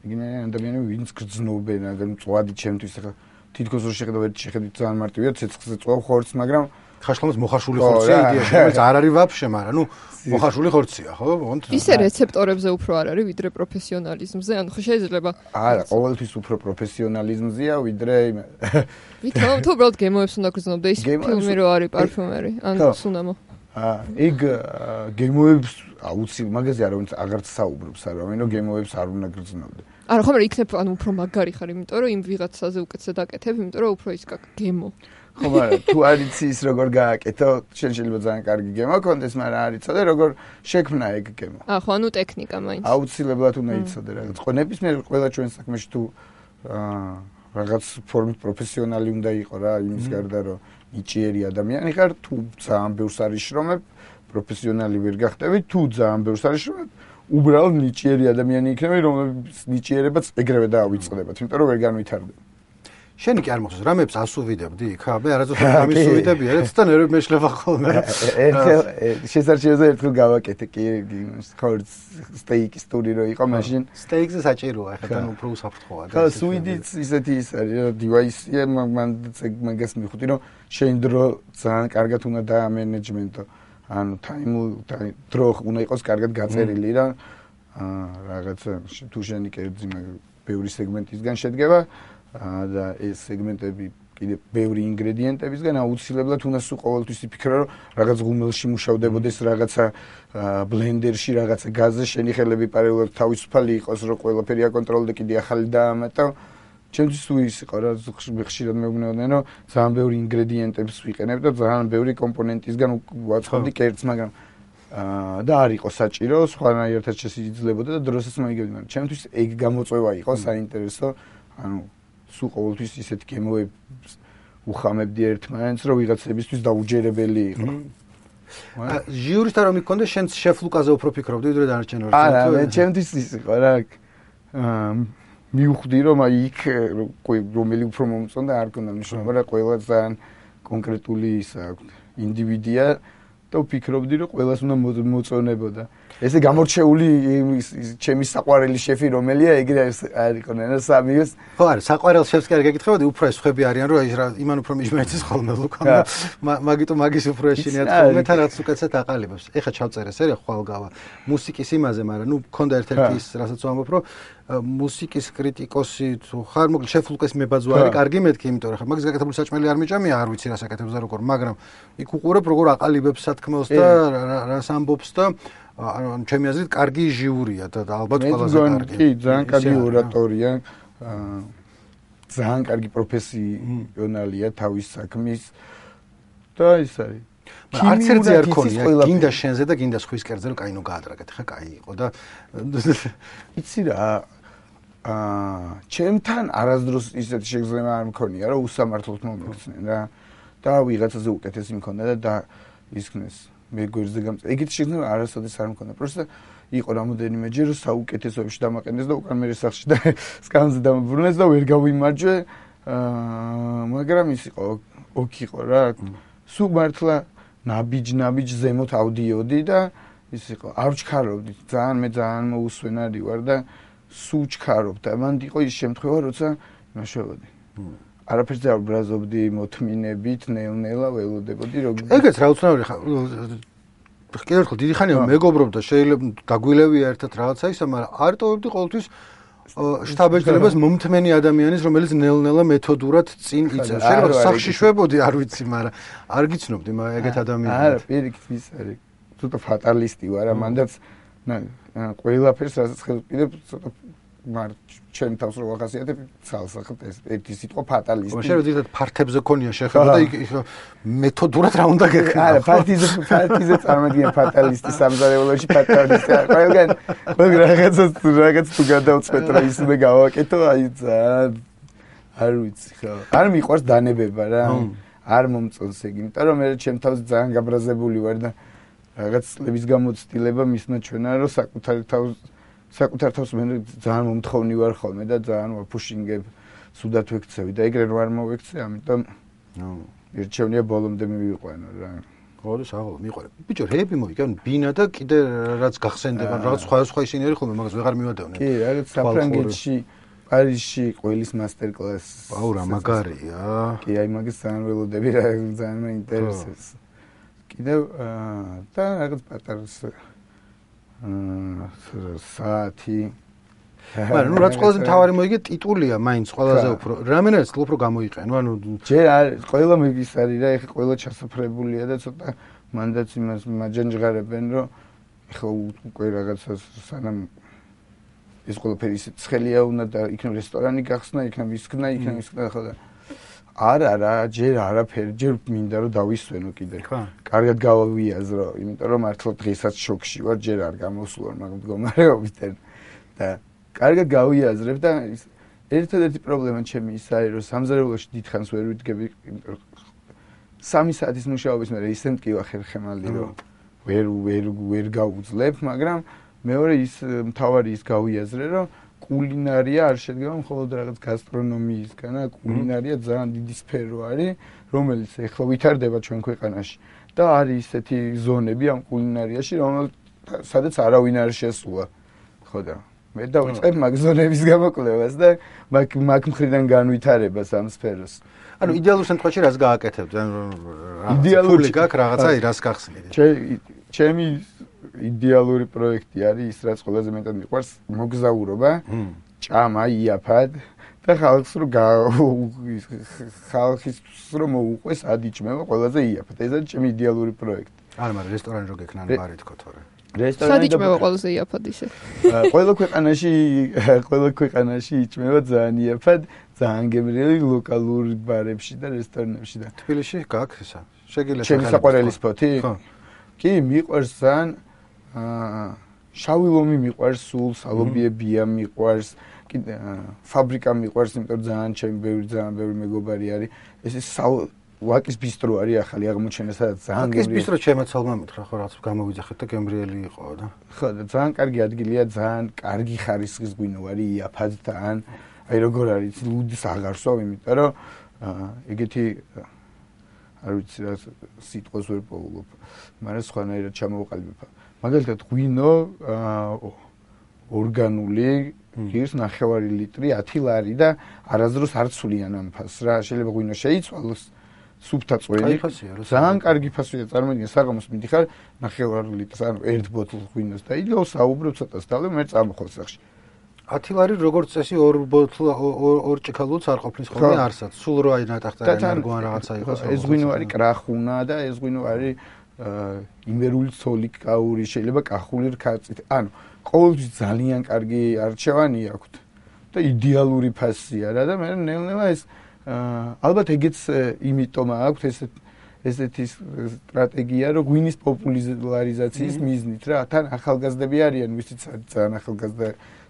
ეგენი ადამიანები ვინც გრძნობენ აგერ მწვადი ჩემთვის ახლა თითქოს რო შეხედავ ერთ შეხედვით ძალიან მარტივია ცეცხლზე წვავ ხორცს მაგრამ ხაშლამას მოხარშული ხორცია იდეაში რომელიც არ არის ვაფშე მაგრამ ნუ მოხარშული ხორცია ხო ისე რეცეპტორებზე უფრო არ არის ვიდრე პროფესიონალიზმზე ანუ ხო შეიძლება არა ყოველთვის უფრო პროფესიონალიზმზეა ვიდრე იმე ვითომ თუ უბრალოდ გემოებს უნდა გრძნობდე ის ფილმი რო არის პარფიუმერი ან სუნამო აა ეგ გემოებს აუცილებლად მაგაზე არ ვინც აღარც საუბრობს არა ვინო გემოებს არ უნდა გრძნობდე არა ხომ იქნებ ანუ უფრო მაგარი ხარ იმიტომ რომ იმ ვიღაცაზე უკეთესად აკეთებ იმიტომ რომ უფრო ის გემო ხო მაგრამ თუ არ იცი ის როგორ გააკეთო შენ შეიძლება ძალიან კარგი გემო კონდეს მაგრამ არ იცოდე როგორ შექმნა ეგ გემო აა ხო ანუ ტექნიკა მაინც აუცილებლად უნდა იცოდე რაღაც ხო ნებისმიერ ყველა ჩვენ საქმეში თუ აა რაღაც ფორმით პროფესიონალი უნდა იყო რა იმის გარდა რომ ნიჭიერი ადამიანი ხარ თუ ძალიან ბევრს არის შრომებ პროფესიონალი ვერ გახდები თუ ძალიან ბევრს არის შრომებ უბრალოდ ნიჭიერი ადამიანი იქნება რომელიც ნიჭიერებაც ეგრევე დაავიწყდებათ იმიტომ რომ ვერ განვითარდება შენი კი არ მოხდეს რამებს ასუვიდებდი ხა მე არასდროს ამის სუვიდები არც და ნერვები მეშლება ხოლმე ერთხელ შესაძლოა ერთხელ გავაკეთე კი ხორც სტეიკის ტური რო იყო მაშინ სტეიკზე საჭიროა ხა თან უფრო უსაფრთხოა და სუიდიც ისეთი ის არის დივაისია მან მაგას მიხუთი რომ შენ დრო ძალიან კარგად უნდა დაამენეჯმენტო ანუ ტაიმ დრო უნდა იყოს კარგად გაწერილი რა რაღაცა თუ შენი კერძი ბევრი სეგმენტისგან შედგება და ეს სეგმენტები კიდე ბევრი ინგრედიენტებისგან აუცილებლად უნდა სულ ყოველთვის იფიქრო რომ რაღაც ღუმელში მუშავდებოდეს რაღაცა ბლენდერში რაღაცა გაზზე შენი ხელები პარალელურად თავისუფალი იყოს რომ ყველაფერი აკონტროლდე კიდე ახალი დაამატა ჩემთვის თუ ის იყო რა ხშირად მეუბნეოდნენ რომ ძალიან ბევრი ინგრედიენტებს ვიყენებ და ძალიან ბევრი კომპონენტისგან ვაწყობდი კერძს მაგრამ და არ იყო საჭირო სხვანაირად შესაძლებოდა და დროსაც მოიგებდი მაგრამ ჩემთვის ეგ გამოწვევა იყო საინტერესო ანუ სულ ყოველთვის ისეთ გემოებს უხამებდი ერთმანეთს რომ ვიღაცებისთვის დაუჯერებელი იყო ჟიურის და რომ იქონდა შენ შეფ ლუკაზე უფრო ფიქრობდი ვიდრე დანარჩენ ორ არა მე ჩემთვის ის იყო რა მივხვდი რომ აი იქ რომელი უფრო მომწონდა არ ქონდა მნიშვნელობა რა ყველა ძალიან კონკრეტული ის აქვს ინდივიდია და ვფიქრობდი რომ ყველას უნდა მოწონებოდა ესე გამორჩეული ჩემი საყვარელი შეფი რომელია ეგრე არ იქონა რა სამიოს ხო არა საყვარელ შეფს კი არ გეკითხებოდი უფრო ეს ხვები არიან რომ აი იმან უფრო მიჯმეცის ხოლმე ლუკა მაგიტო მაგის უფრო ეშინიათ ხოლმე თან რაც უკეთესად აყალიბებს ეხა ჩავწერე სერია ხვალგავა მუსიკის იმაზე მაგრამ ნუ მქონდა ერთ-ერთი ის რასაც ვამბობ რომ მუსიკის კრიტიკოსი თუ ხარ მოკლედ შეფ ლუკას მებაძვა არის კარგი მეთქი იმიტომ რომ ხა მაგის გაკეთებული საჭმელი არ მიჭამია არ ვიცი რას აკეთებს და როგორ მაგრამ იქ უყურებ როგორ აყალიბებს სათქმელს და რას ამბობს და ანუ ჩემი აზრით კარგი ჟიურია და ალბათ ყველაზე კარგი. კი, ძალიან კარგი ორატორია. ძალიან კარგი პროფესიონალია თავის საქმის და ის არის. მაგრამ არც ერთზე არ ქონია, გინდა შენზე და გინდა სხვის კერძზე რომ კაინო გაადრაგეთ, ხა კაი იყო და იცი რა აა ჩემთან არასდროს ისეთი შეგრძნება არ მქონია რომ უსამართლოდ მომიქცნენ რა და ვიღაცაზე უკეთესი მქონდა და ისქნეს მე გვერდზე გამწ. ეგეთ შეგრძნება არასოდეს არ მქონდა. პროსტა იყო რამოდენიმე ჯერ საუკეთესოებში დამაყენეს და უკან მე სახში და სკამზე დამაბრუნეს და ვერ გავიმარჯვე. აა მაგრამ ის იყო ოკ იყო რა. სულ მართლა ნაბიჯ ნაბიჯ ზემოთ ავდიოდი და ის იყო არ ვჩქარობდი. ძალიან მე ძალიან მოუსვენარი ვარ და სულ ჩქარობ და მან იყო ის შემთხვევა როცა ნაშევოდი. არაფერს არ ბრაზობდი მოთმინებით, ნელ-ნელა ველოდებოდი რომ ეგეც რა უცნაური ხა კიდევ ერთხელ დიდი ხანია მეგობრობ და შეიძლება დაგვილევია ერთად რაღაცა ისა, მაგრამ არ ტოვებდი ყოველთვის შტაბ-ეჭდებას მომთმენი ადამიანის, რომელიც ნელ-ნელა მეთოდურად წინ იწევს. შეიძლება სახში შვებოდი, არ ვიცი, მაგრამ არ გიცნობდი ეგეთ ადამიანებს. არა, პირიქით ის არის. ცოტა ფატალისტი ვარ, მანდაც ყველაფერს რასაც ხელმიყიდებ, ცოტა მარ ჩემ თავს რო ვახასიათებ, ცალსახად ეს ერთი სიტყვა ფატალისტი. შეიძლება ზოგადად ფართებზე ქონია შეხება და იქ მეთოდურად რა უნდა გეკნა. არა, ფარტიზე ფარტიზე წარმოგიდგენ ფატალისტი სამზარეულოში ფატალისტი. ყველგან ყველგან რაღაცას რაღაც თუ გადავწყვეტ რა ის უნდა გავაკეთო, აი ძალიან არ ვიცი ხო. არ მიყვარს დანებება რა. არ მომწონს ეგ, იმიტომ რომ მე ჩემ თავს ძალიან გაბრაზებული ვარ და რაღაც წლების გამოცდილება მისმა ჩვენა რომ საკუთარ თავს საკუთარ თავს მე ძალიან მომთხოვნი ვარ ხოლმე და ძალიან ვაფუშინგებ სუდათ ვექცევი და ეგრე რო არ მოვექცე, ამიტომ ნუ ერჩევნია ბოლომდე მივიყვანო რა. ხო, საღოლ მიყვარე. ბიჭო, რეები მოიგან ბინა და კიდე რაც გახსენდება, რაღაც სხვა სხვა ისინი არის ხოლმე, მაგას ვეღარ მივადევნე. კი, რაღაც საფრანგეთში, პარიზში ყოლის მასტერ კლასი. აუ რა მაგარია. კი, აი მაგის ძალიან ველოდები რა, ძალიან მეინტერესებს. კიდევ და რაღაც პატარა აა საათი მაგრამ ნუ რაც ყველაზე მთავარი მოიგე ტიტულია მაინც ყველაზე უფრო რამენაც უფრო გამოიყენო ანუ ჯერ არის ყველა მიგის არის რა ეხა ყველა ჩასაფრებულია და ცოტა მანდაც იმას მაჯანჯღარებენ რომ ეხა უკვე რაღაცას სანამ ეს ყველაფერი ისე ცხელია უნდა და იქნებ რესტორანი გახსნა იქნებ ისქნა იქნებ ისქნა ხო და არა რა ჯერ არაფერი ჯერ მინდა რომ დავისვენო კიდე კარგად გავავიაზრო იმიტომ რომ მართლა დღესაც შოქში ვარ ჯერ არ გამოსულვარ მაგ მდგომარეობით და კარგად გავიაზრებ და ერთადერთი პრობლემა ჩემი ის არის რომ სამზარეულოში დიდხანს ვერ ვიდგები სამი საათის მუშაობის მერე ისე მტკივა ხერხემალი რომ ვერ ვერ ვერ გავუძლებ მაგრამ მეორე ის მთავარი ის გავიაზრე რომ კულინარია არ შედგება მხოლოდ რაღაც გასტრონომიისგან და კულინარია ძალიან დიდი სფერო არის რომელიც ეხლა ვითარდება ჩვენ ქვეყანაში და არის ისეთი ზონები ამ კულინარიაში რომელიც სადაც არავინ არ შესულა ხო და მე დავიწყებ მაგ ზონების გამოკვლევას და მაგ მაგ მხრიდან განვითარებას ამ სფეროს. ანუ იდეალურ შემთხვევაში რას გააკეთებთ? ანუ იდეალური გაქვს რაღაცა რას გახსნით? ჩემი იდეალური პროექტი არის ის რაც ყველაზე მეტად მიყვარს მოგზაურობა, ჭამა, იაფად და ხალხს რო ხალხის რო მოუყვეს ადიჭმება ყველაზე იაფად. ეს არის ჩემი იდეალური პროექტი. არა, მაგრამ რესტორანი რო გექნა ან ბარი თქო თორე. რესტორანი იჭმება ყველაზე იაფად ისე. ყველა ქვეყანაში ყველა ქვეყანაში იჭმება ძალიან იაფად, ძალიან გემრიელი ლოკალური ბარებში და რესტორნებში და თბილისში გაქვს ისა. შეგიძლიათ ჩემი საყვარელი სპოტი? ხო. კი, მიყვარს ძალიან აა შავი ლომი მიყვარს სულ, სალობიებია მიყვარს, კიდე ფაბრიკა მიყვარს, იმიტომ ძალიან ჩემი ბევრი ძალიან ბევრი მეგობარი არის. ეს ის ვაკის ბისტრო არის ახალი აღმოჩენა, სადაც ძალიან გემრიელი. ვაკის ბისტრო ჩემაცალმა მითხრა, ხო რაღაც გამოვიძახეთ და გემრიელი იყო და. ხო, და ძალიან კარგი ადგილია, ძალიან კარგი ხარისხის ღვინო არის, იაფად და ან აი როგორ არის, ლუდის აღარსო, იმიტომ რომ ეგეთი არ ვიცი რა სიტყვას ვერ პოულობ, მაგრამ სხვანაირად ჩამოვყალიბებ. მაგალითად ღვინო ორგანული ღირს ნახევარი ლიტრი ათი ლარი და არასდროს არ ცვლიან ამ ფასს რა, შეიძლება ღვინო შეიცვალოს სუფთა წვენი. ძალიან კარგი ფასია, წარმოიდგინე, საღამოს მიდიხარ ნახევარი ლიტრს, ანუ ერთ ბოთლს ღვინოს და იდეო საუბრობ ცოტას დავle მე წამოხვალ სახში. ათი ლარი როგორც წესი ორ ბოთლ ორ ჭიქალუც არ ყოფნის ხოლმე არსად. სულ რო აი ნატახტარი მარგვან რაღაცა იყოს. ეს ღვინო არის კრახუნა და ეს ღვინო არის იმერული ცოლი კაური, შეიძლება კახული რქაწით. ანუ ყოველთვის ძალიან კარგი არჩევანი აქვთ და იდეალური ფასია რა და მე ნელ-ნელა ეს ალბათ ეგეც იმიტომ აქვთ ესეთ ესეთი სტრატეგია რომ ღვინის პოპულარიზაციის მიზნით რა თან ახალგაზრდები არიან ვისიც ძალიან ახალგაზრდა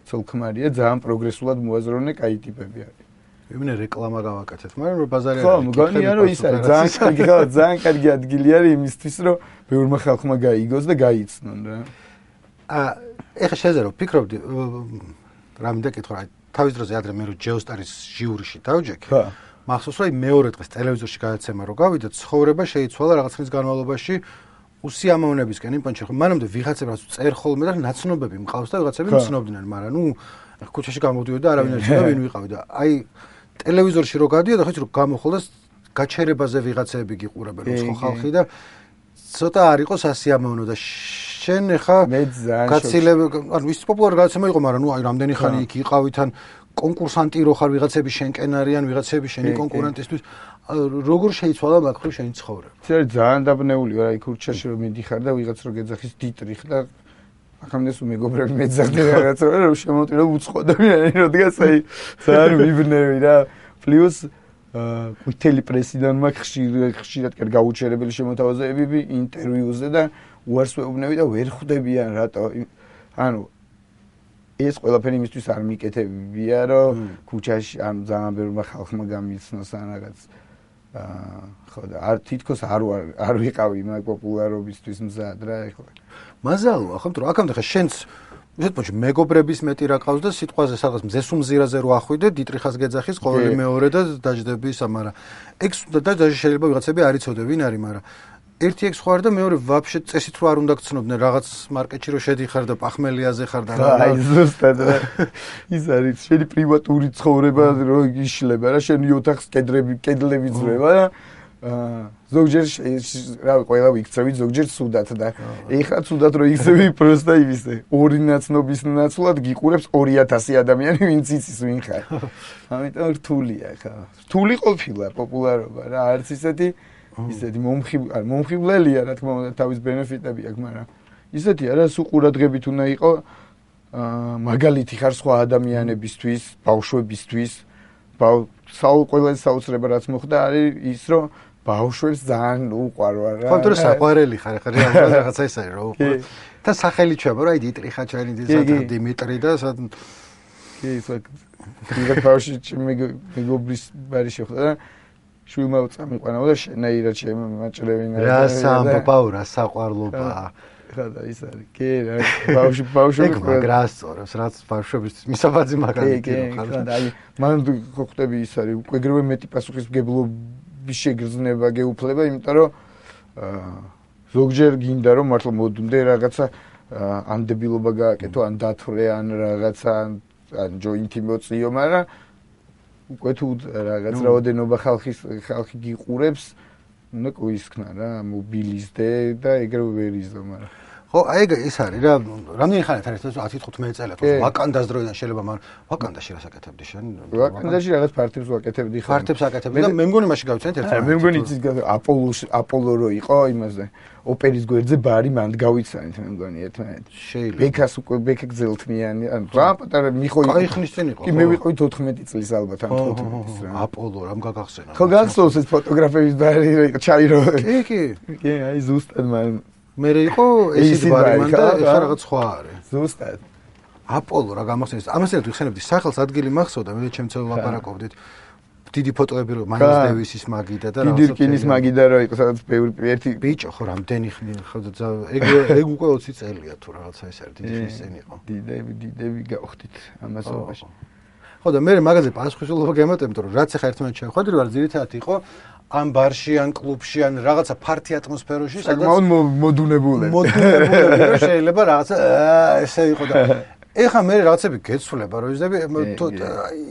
ცოლ-ქმარია ძალიან პროგრესულად მოაზროვნე კაი ტიპები არის. ვინმე რეკლამა გავაკეთეთ, მაგრამ რომ ბაზარი არის. ხო, მგონია რომ ის არის ძალიან კარგი ხო ძალიან კარგი ადგილი არის იმისთვის რომ ბევრმა ხალხმა გაიგოს და გაიცნონ რა. აა ეხლა შეეძერო ფიქრობდი რამე კითხვა რა თავის დროზე ადრე მე რო ჯეოსტარის ჟიურიში დავჯექი. ხო. მახსოვს რომ მეორე დღეს ტელევიზორში გადაცემა რო გავიდა, ცხოვრება შეიცვალა რაღაც ხნის განმავლობაში უსიამოვნებისკენ იმ პონჩი ხო მანამდე ვიღაცებს წერ ხოლმე და ნაცნობები მყავს და ვიღაცები მცნობდნენ, მაგრამ ნუ ქუჩაში გამოდიოდი და არავინ არ იცოდა ვინ ვიყავი და აი ტელევიზორში რო გადიოდა ხო იცი რომ გამოხოლდა გაჩერებაზე ვიღაცები გიყურებენ ხო ხალხი და ცოტა არ იყო სასიამოვნო და შენ ხა გაცილებ ანუ ის პოპულარი გადაცემა იყო, მაგრამ ნუ აი რამდენი ხანი იქ იყავითან კონკურსანტი რო ხარ ვიღაცები შენკენ არიან, ვიღაცები შენი კონკურენტისთვის როგორ შეიცვალა მაგ ხრივ შენი ცხოვრება? ეს არის ძალიან დაბნეული რა, იქ ქუჩაში რომ მიდიხარ და ვიღაც რო გეძახის დიტრიხ და ახამდე სულ მეგობრები მეძახდნენ რაღაცა რომ შემოტირო უცხოდებიანი რადგან აი ძალიან ვიბნევი რა. პლუს ყვითელი პრესიდან მაგ ხშირად ხშირად კერ გაუჩერებელი შემოთავაზებები ინტერვიუზე და უარს ვეუბნები და ვერ ხვდებიან რატო ანუ ეს ყველაფერი იმისთვის არ მიკეთებია რომ ქუჩაში ან ძალიან ბევრმა ხალხმა გამიცნოს ან რაღაც აა ხო და არ თითქოს არ არ ვიყავი მაგ პოპულარობისთვის მზად რა ეხლა. მაზალოა ხო, რომ აქამდე ხა შენც ისეთ მოჩი მეგობრების მეტი რა ყავს და სიტყვაზე სადღაც მზესუმზირაზე რო ახვიდე დიტრიხას გეძახის ყოველი მეორე და დაждები ისა, მაგრამ ეგ და და შეიძლება ვიღაცები არ იცოდე ვინ არის, მაგრამ ერთი ეგ სხვა და მეორე ვაფშე წესით რო არ უნდა გცნობდნენ რაღაც მარკეტში რო შედიხარ და პახმელიაზე ხარ და რა აი ზუსტად რა ის არის შენი პრივატური ცხოვრება რო იშლება რა შენი ოთახს კედლები კედლები ძრება და ზოგჯერ რა ყველა ვიქცევი ზოგჯერ სუდათ და ეხლა სუდათ რო იქცევი პროსტა იმისე ორი ნაცნობის ნაცვლად გიყურებს ორი ათასი ადამიანი ვინც იცის ვინ ხარ ამიტომ რთულია ხა რთული ყოფილა პოპულარობა რა არც ისეთი ისეთი მომხიბლელი მომხიბლელია რა თქმა უნდა თავის ბენეფიტები აქვს მაგრამ ისეთი არა სულ ყურადღებით უნდა იყო მაგალითი ხარ სხვა ადამიანებისთვის ბავშვებისთვის საულ ყველაზე საოცრება რაც მოხდა არის ის რომ ბავშვებს ძალიან უყვარვა რა. ხო, თორე საყვარელი ხარ, ხარ რეალურად რაღაცა ის არის რა უყვარ. და სახელი ჩვევა რა, დიტრიხა ჩაინი და დიმიტრი და სად კი, ის ვიღაც ბავშვი მეგობრის ბარი შეხვდა და შვილმა წამიყვანა და შენაირად შემაჭრევინა. რა სამბაო რა საყვარლობა. ხა და ის არის. კი, რა ბავშვი ბავშვი მაგრას სწორებს, რაც ბავშვებისთვის მისაბაძი მაგალითი რა ხარ. და აი მან ხვდები ის არის, უკვე ეგრევე მეტი პასუხისმგებლობის შეგრძნება გეუფლება, იმიტომ რომ ზოგჯერ გინდა რომ მართლა მოდუნდე რაღაცა ანდებილობა გააკეთო, ან დათვრე, ან რაღაცა ან ჯოინტი მოწიო, მაგრამ უკვე თუ რაღაც რაოდენობა ხალხის ხალხი გიყურებს, უნდა ყოისქნა რა, მობილიზდე და ეგრევე ვერ იზო, მაგრამ ხო, აი ეგ ის არის რა, რამდენი ხანით არის ეს ათი თხუთმეტი წელი თუ ვაკანდას დროიდან შეიძლება, მაგრამ ვაკანდაში რას აკეთებდი შენ? ვაკანდაში რაღაც პარტებს ვაკეთებდი ხარ. პარტებს აკეთებდი და მე მგონი მაშინ გავიცანეთ ერთმანეთს. მე მგონი იცის აპოლოს აპოლო რო იყო იმაზე ოპერის გვერდზე ბარი მანდ გავიცანეთ მე მგონი ერთმანეთს. შეიძლება. ბექას უკვე ბექა გზელთმიანი, ან რა პატარა მიხოი. აი ხნის წინ იყო. კი მე ვიყავი თოთხმეტი წლის ალბათ ან თხუთმეტი წლის რა. აპოლო რამ გაგახსენა. ხო გახსოვს ეს ფოტოგრაფების ბარი რო იყო ჩაირო. კი, კი. კი, აი ზუსტად მაგრამ მე იყო ესეთი ბარი მან და ეხლა რაღაც სხვა არის. ზუსტად. აპოლო რა გამახსენეს. ამასთან ვიხსენებდი სახელს ადგილი მახსოვდა, მე ჩემ ცელ ლაპარაკობდით. დიდი ფოტოები რო მაილს დევისის მაგიდა და რაღაცა. დიდირკინის მაგიდა რო იყო, სადაც ბევრი ერთი ბიჭო ხო რამდენი ხნი ხო და ეგ ეგ უკვე ოცი წელია თუ რაღაცა ეს არის, დიდი ხნის წინ იყო. დიდები, დიდები გავხდით ამასობაში. ხო და მე მაგაზე პასუხისმგებლობა გემატებთ რომ რაც ახლა ერთმანეთს შევხვედრი ვარ ძირითადად იყო ან ბარში ან კლუბში ან რაღაცა ფართი ატმოსფეროში სადაც მოდუნებულები მოდუნებულები შეიძლება რაღაცა ესე იყო და ეხა მე რაღაცები გეცვლება რომ იზები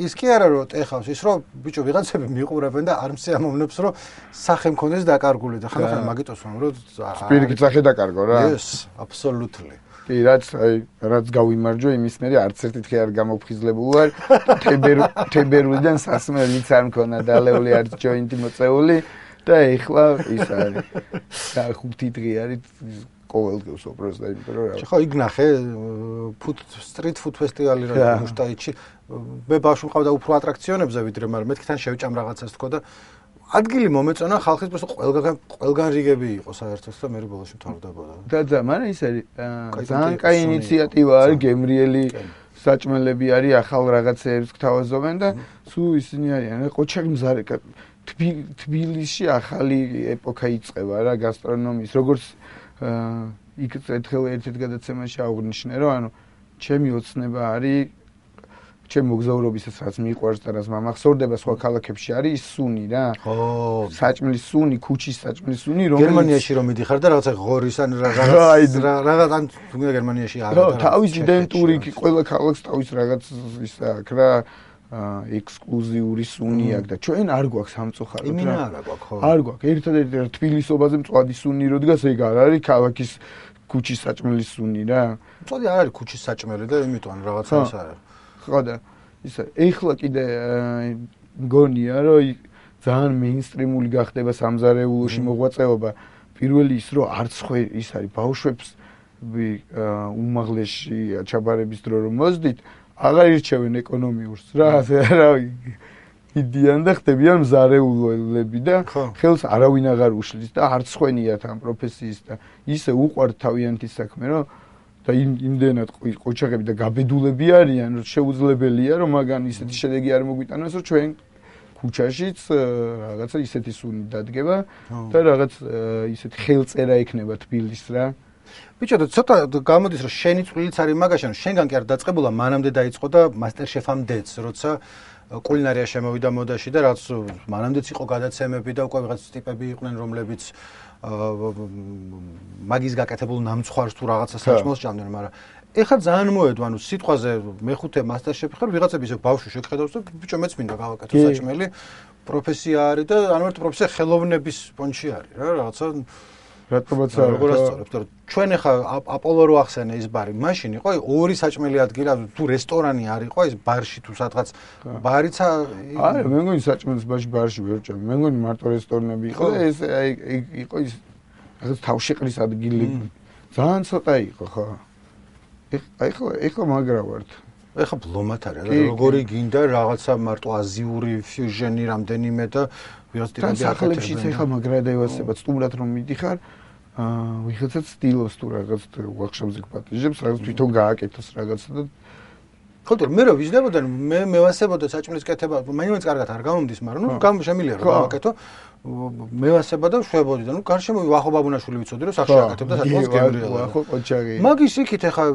ის კი არა რომ ეხავს ის რომ ბიჭო ვიღაცები მიყურებენ და არ მსიამოვნებს რომ სახე მქონდეს დაკარგული და ხანახან მაგიტოს რომ სპირიტი სახე დაკარგო რა yes absolutely კი რაც აი რაც გავიმარჯვე იმის მერე არც ერთი თხე არ გამოფხიზლებული ვარ თებერვლიდან სასმელიც არ მქონა დალეული არც ჯოინტი მოწეული და ეხლა ის არის და ხუთი დღე არის ყოველდღიურ სოფროს და იმიტომ რომ ხო იქ ნახე ფუთ სტრიტ ფუთ ფესტივალი რა მუშტაიჩი მე ბავშვი მყავდა უფრო ატრაქციონებზე ვიდრე მაგრამ მეთქთან შევჭამ რაღაცას თქო და ადგილი მომეწონა ხალხის просто ყველგან ყველგან რიგები იყო საერთოდ და მე ბოლოში მთავრდებოდა. და და მაგრამ ის არის ძალიან კაი ინიციატივა არის გემრიელი საჭმელები არის ახალ რაღაცეებს გთავაზობენ და სულ ისინი არიან ყოჩარი მზარე თბილისში ახალი ეპოქა იწყება რა გასტრონომიის როგორც იქ ერთხელ ერთ-ერთ გადაცემაში აღვნიშნე რომ ანუ ჩემი ოცნება არის ჩემ მოგზაურობისას რაც მიყვარს და რაც მამახსოვრდება სხვა ქალაქებში არის სუნი რა. ხო. საჭმლის სუნი, ქუჩის საჭმლის სუნი, რომელიც გერმანიაში რომ მიდიხარ და რაღაცა ღორის ან რაღაც რაღაც ან თუნდაც გერმანიაში არა. ხო, თავის იდენტური ყველა ქალაქს თავის რაღაც ის აქვს რა ექსკლუზიური სუნი აქვს და ჩვენ არ გვაქვს სამწუხაროდ რა. იმინა არა გვაქვს ხო. არ გვაქვს. ერთადერთი თბილისობაზე მწვადი სუნი რო დგას ეგ არ არის ქალაქის ქუჩის საჭმლის სუნი რა. მწვადი არ არის ქუჩის საჭმელი და იმიტომ ან რაღაცა ის არის. ხო და ისა ეხლა კიდე მგონია რომ ძალიან მეინსტრიმული გახდება სამზარეულოში მოღვაწეობა პირველი ის რომ არც ხო ის არის ბავშვებს უმაღლესში ჩაბარების დრო რომ მოძდით აღარ ირჩევენ ეკონომიურს რა რა იდიან და ხდებიან მზარეულები და ხელს არავინ აღარ უშლის და არც ხვენიათ ამ პროფესიის და ისე უყვართ თავიანთი საქმე რომ და იმდენად ყოჩაღები და გაბედულები არიან რომ შეუძლებელია რომ მაგან ისეთი შედეგი არ მოგვიტანოს რომ ჩვენ ქუჩაშიც რაღაცა ისეთი სუნი დადგება და რაღაც ისეთი ხელწერა ექნება თბილის რა ბიჭო, ცოტა გამოდის რომ შენი წვლილიც არის მაგაში, რომ შენგან კი არ დაწყებულა, მანამდე დაიწყო და MasterChef-ამდეც, როცა კულინარია შემოვიდა მოდაში და რაც მანამდეც იყო გადაცემები და უკვე ვიღაც ტიპები იყვნენ, რომლებიც მაგის გაკეთებულ ნამცხვარს თუ რაღაცა საჭმელს ჭამდნენ, მაგრამ ეხლა ძალიან მოედო, ანუ სიტყვაზე მეხუთე MasterChef ხარ, ვიღაცები ისე ბავშვი შეგხედავს და ბიჭო მეც მინდა გავაკეთო საჭმელი, პროფესია არის და ანუ ერთ პროფესია ხელოვნების პონჩი არის რა, რაღაცა რატომაც არა როგორ ასწორებ, თორე ჩვენ ახლა აპოლო რო ახსენე ის ბარი, მაშინ იყო ორი საჭმელი ადგილი, თუ რესტორანი არ იყო ის ბარში თუ სადღაც ბარიცა არა, მე მგონი საჭმელს ბარში ბარში ვერ ჭამე. მე მგონი მარტო რესტორნები იყო და ეს აი იყო ის რაღაც თავშეყრის ადგილი. ძალიან ცოტა იყო ხო. აი ხო, ეხლა მაგრა ვართ. ეხლა ბლომად არის, როგორი გინდა რაღაცა მარტო აზიური ფიუჟენი რამდენიმე და ვიღაც ტიპები ახალებში ეხლა მაგრა დაევასება, სტუმრად რომ მიდიხარ, აა ვიღაცაც სტილოს თუ რაღაც ვორქშოპზე გპატიჟებს, რაღაც თვითონ გააკეთოს რაღაცა და ხო, თორე მე რო ვიზნებოდა, მე მევასებოდა საჭმლის კეთება, მაინც კარგად არ გამომდის, მაგრამ ნუ გამ შემიძლია რომ გავაკეთო. მევასება და შვებოდი და ნუ გარშემო ვახო ბაბუნაშვილი ვიცოდი რომ სახში აკეთებდა საჭმელს გემრიელა. ვახო ყოჩაგი. მაგის იქით ახლა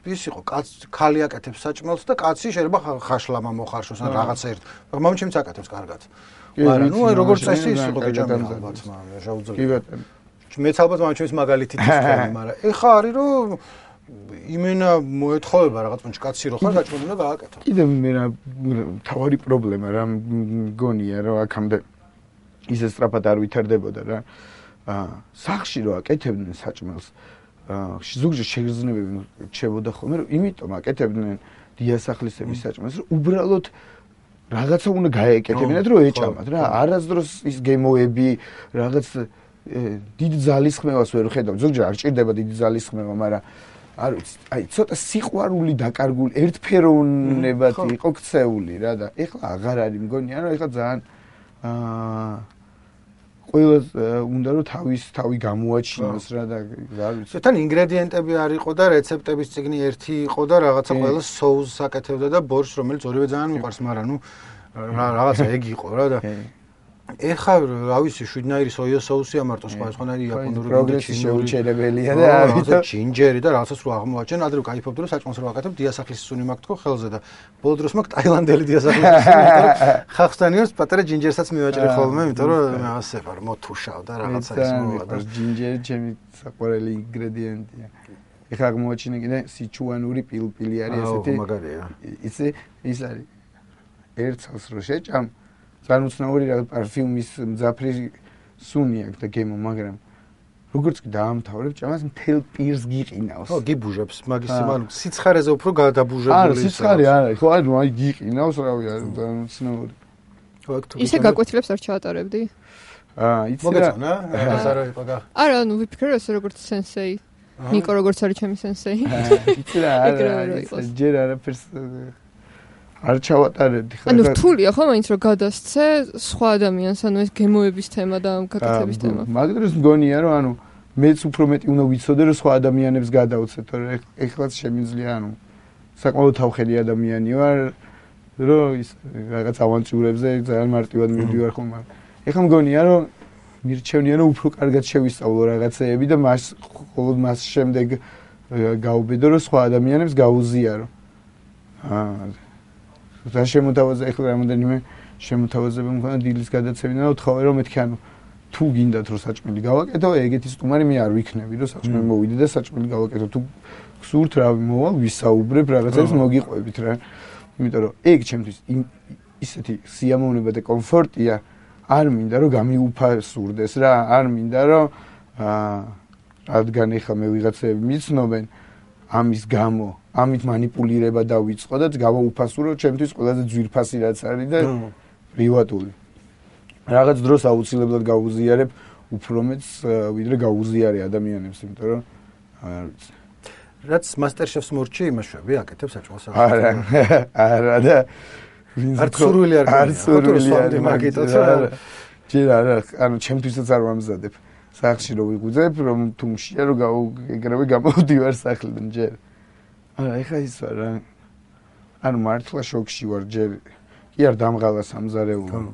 ის იყო კაც ქალი აკეთებს საჭმელს და კაცი შეიძლება ხაშლამა მოხარშოს ან რაღაცა ერთ. მაგრამ მამჩემიც აკეთებს კარგად. მაგრამ ნუ აი როგორც წესი ის იყო გეჭამი ალბათ, მაგრამ შაუძლიერ. კი ბატონო. მეც ალბათ მამჩემის მაგალითით ისწავლე, მაგრამ ეხა არის რომ იმენა მოეთხოვება რაღაც პონჩ კაცი რო ხარ საჭმელი უნდა გააკეთო. კიდე მე რა თავარი პრობლემა რა მგონია რომ აქამდე ისე სწრაფად არ ვითარდებოდა რა. აა სახში რო აკეთებდნენ საჭმელს, აა ზოგჯერ შეგრძნებები რჩებოდა ხოლმე, რომ იმიტომ აკეთებდნენ დიასახლისების საჭმელს, რომ უბრალოდ რაღაცა უნდა გაეკეთებინათ, რომ ეჭამათ რა. არასდროს ის გემოები, რაღაც დიდ ძალისხმევას ვერ ხედავ. ზოგჯერ არ ჭირდება დიდი ძალისხმევა, მაგრამ არ ვიცი, აი ცოტა სიყვარული დაკარგული, ერთფეროვნებად იყო ქცეული რა და ეხლა აღარ არის მგონია, რომ ეხლა ძალიან აა ყველა უნდა რომ თავის თავი გამოაჩინოს რა და არ ვიცი. თან ინგრედიენტები არ იყო და რეცეპტების წიგნი ერთი იყო და რაღაცა ყველა соуს აკეთებდა და ბორშს, რომელიც ორივე ძალიან მიყვარს, მაგრამ ნუ რაღაცა ეგ იყო რა და ეხა რა ვიცი, შვიდნაირი სოია соуსი ამარტო სხვა სხვანაირი იაპონური პროგრესი შეუჩერებელია და ამიტომ ჯინჯერი და რაღაცას რო აღმოაჩენ, ადრე ვკაიფობდი რომ საჭმელს რო აკეთებ, დიასახლის სუნი მაქვს თქო ხელზე და ბოლო დროს მაქვს ტაილანდელი დიასახლის სუნი, იმიტომ რომ ხახსტანიოს პატარა ჯინჯერსაც მივაჭრე ხოლმე, იმიტომ რომ მე ასე ვარ, მოთუშავ და რაღაცა ის მოვა და ჯინჯერი ჩემი საყვარელი ინგრედიენტია. ეხა აღმოაჩინე კიდე სიჩუანური პილპილი არის ესეთი. აუ, მაგარია. იცი, ის არის. ერთხელს რო შეჭამ ძალიან უცნაური რა პარფიუმის მძაფრი სუნი აქვს და გემო, მაგრამ როგორც კი დაამთავრებ, ჭამას მთელ პირს გიყინავს. ხო, გიბუჟებს, მაგის სიმალ სიცხარეზე უფრო გადაბუჟებული. არა, სიცხარე არა, ხო, ანუ აი გიყინავს, რავი, ძალიან უცნაური. ისე გაკვეთილებს არ ჩაატარებდი? აა, იცი რა. მოგეწონა? არა, იყო გა. არა, ანუ ვიფიქრე ესე როგორც სენსეი. ნიკო როგორც არის ჩემი სენსეი. იცი რა, არა, ჯერ არაფერს არ ჩავატარებდი ხა. ანუ რთულია ხო მაინც რომ გადასცე სხვა ადამიანს, ანუ ეს გემოების თემა და გაკეთების თემა. მაგ დროს მგონია რომ ანუ მეც უფრო მეტი უნდა ვიცოდე რომ სხვა ადამიანებს გადავცე, თორე ეხლაც შემიძლია ანუ საკმაოდ თავხედი ადამიანი ვარ, რომ ის რაღაც ავანტიურებზე ძალიან მარტივად მივდივარ ხოლმე. ეხლა მგონია რომ მირჩევნია რომ უფრო კარგად შევისწავლო რაღაცეები და მას მხოლოდ მას შემდეგ გავუბედო რომ სხვა ადამიანებს გაუზიარო. აა და შემოთავაზე ეხლა რამოდენიმე შემოთავაზება მქონდა დილის გადაცემიდან და ვთხოვე რომ მეთქი ანუ თუ გინდათ რომ საჭმელი გავაკეთო, ეგეთი სტუმარი მე არ ვიქნები რომ საჭმელი მოვიდე და საჭმელი გავაკეთო. თუ გსურთ რა მოვალ ვისაუბრებ რაღაცებს მოგიყვებით რა. იმიტომ რომ ეგ ჩემთვის ისეთი სიამოვნება და კომფორტია, არ მინდა რომ გამიუფასურდეს რა, არ მინდა რომ აა რადგან ეხლა მე ვიღაცები მიცნობენ ამის გამო ამით манипуლირება დავიწყო და გავაუფასურო ჩემთვის ყველაზე ძვირფასი რაც არის და პრივატული. რაღაც დროს აუცილებლად გავუზიარებ უფრო მეც ვიდრე გავუზიარე ადამიანებს, იმიტომ რომ არ ვიცი. რაც MasterChef-ს მორჩი იმაშვები აკეთებს საჭმელს. არა, არა და არ სურვილი არ არ სურვილი არ მაგიტოც არა. ჯერ არა, ანუ ჩემთვისაც არ ვამზადებ. სახში რო ვიღვიძებ, რომ თუმშია რომ ეგრევე გამოვდივარ სახლიდან ჯერ. არა, ეხა ის ვარ რა. ანუ მართლა შოკში ვარ ჯერ. კი არ დამღალა სამზარეულო.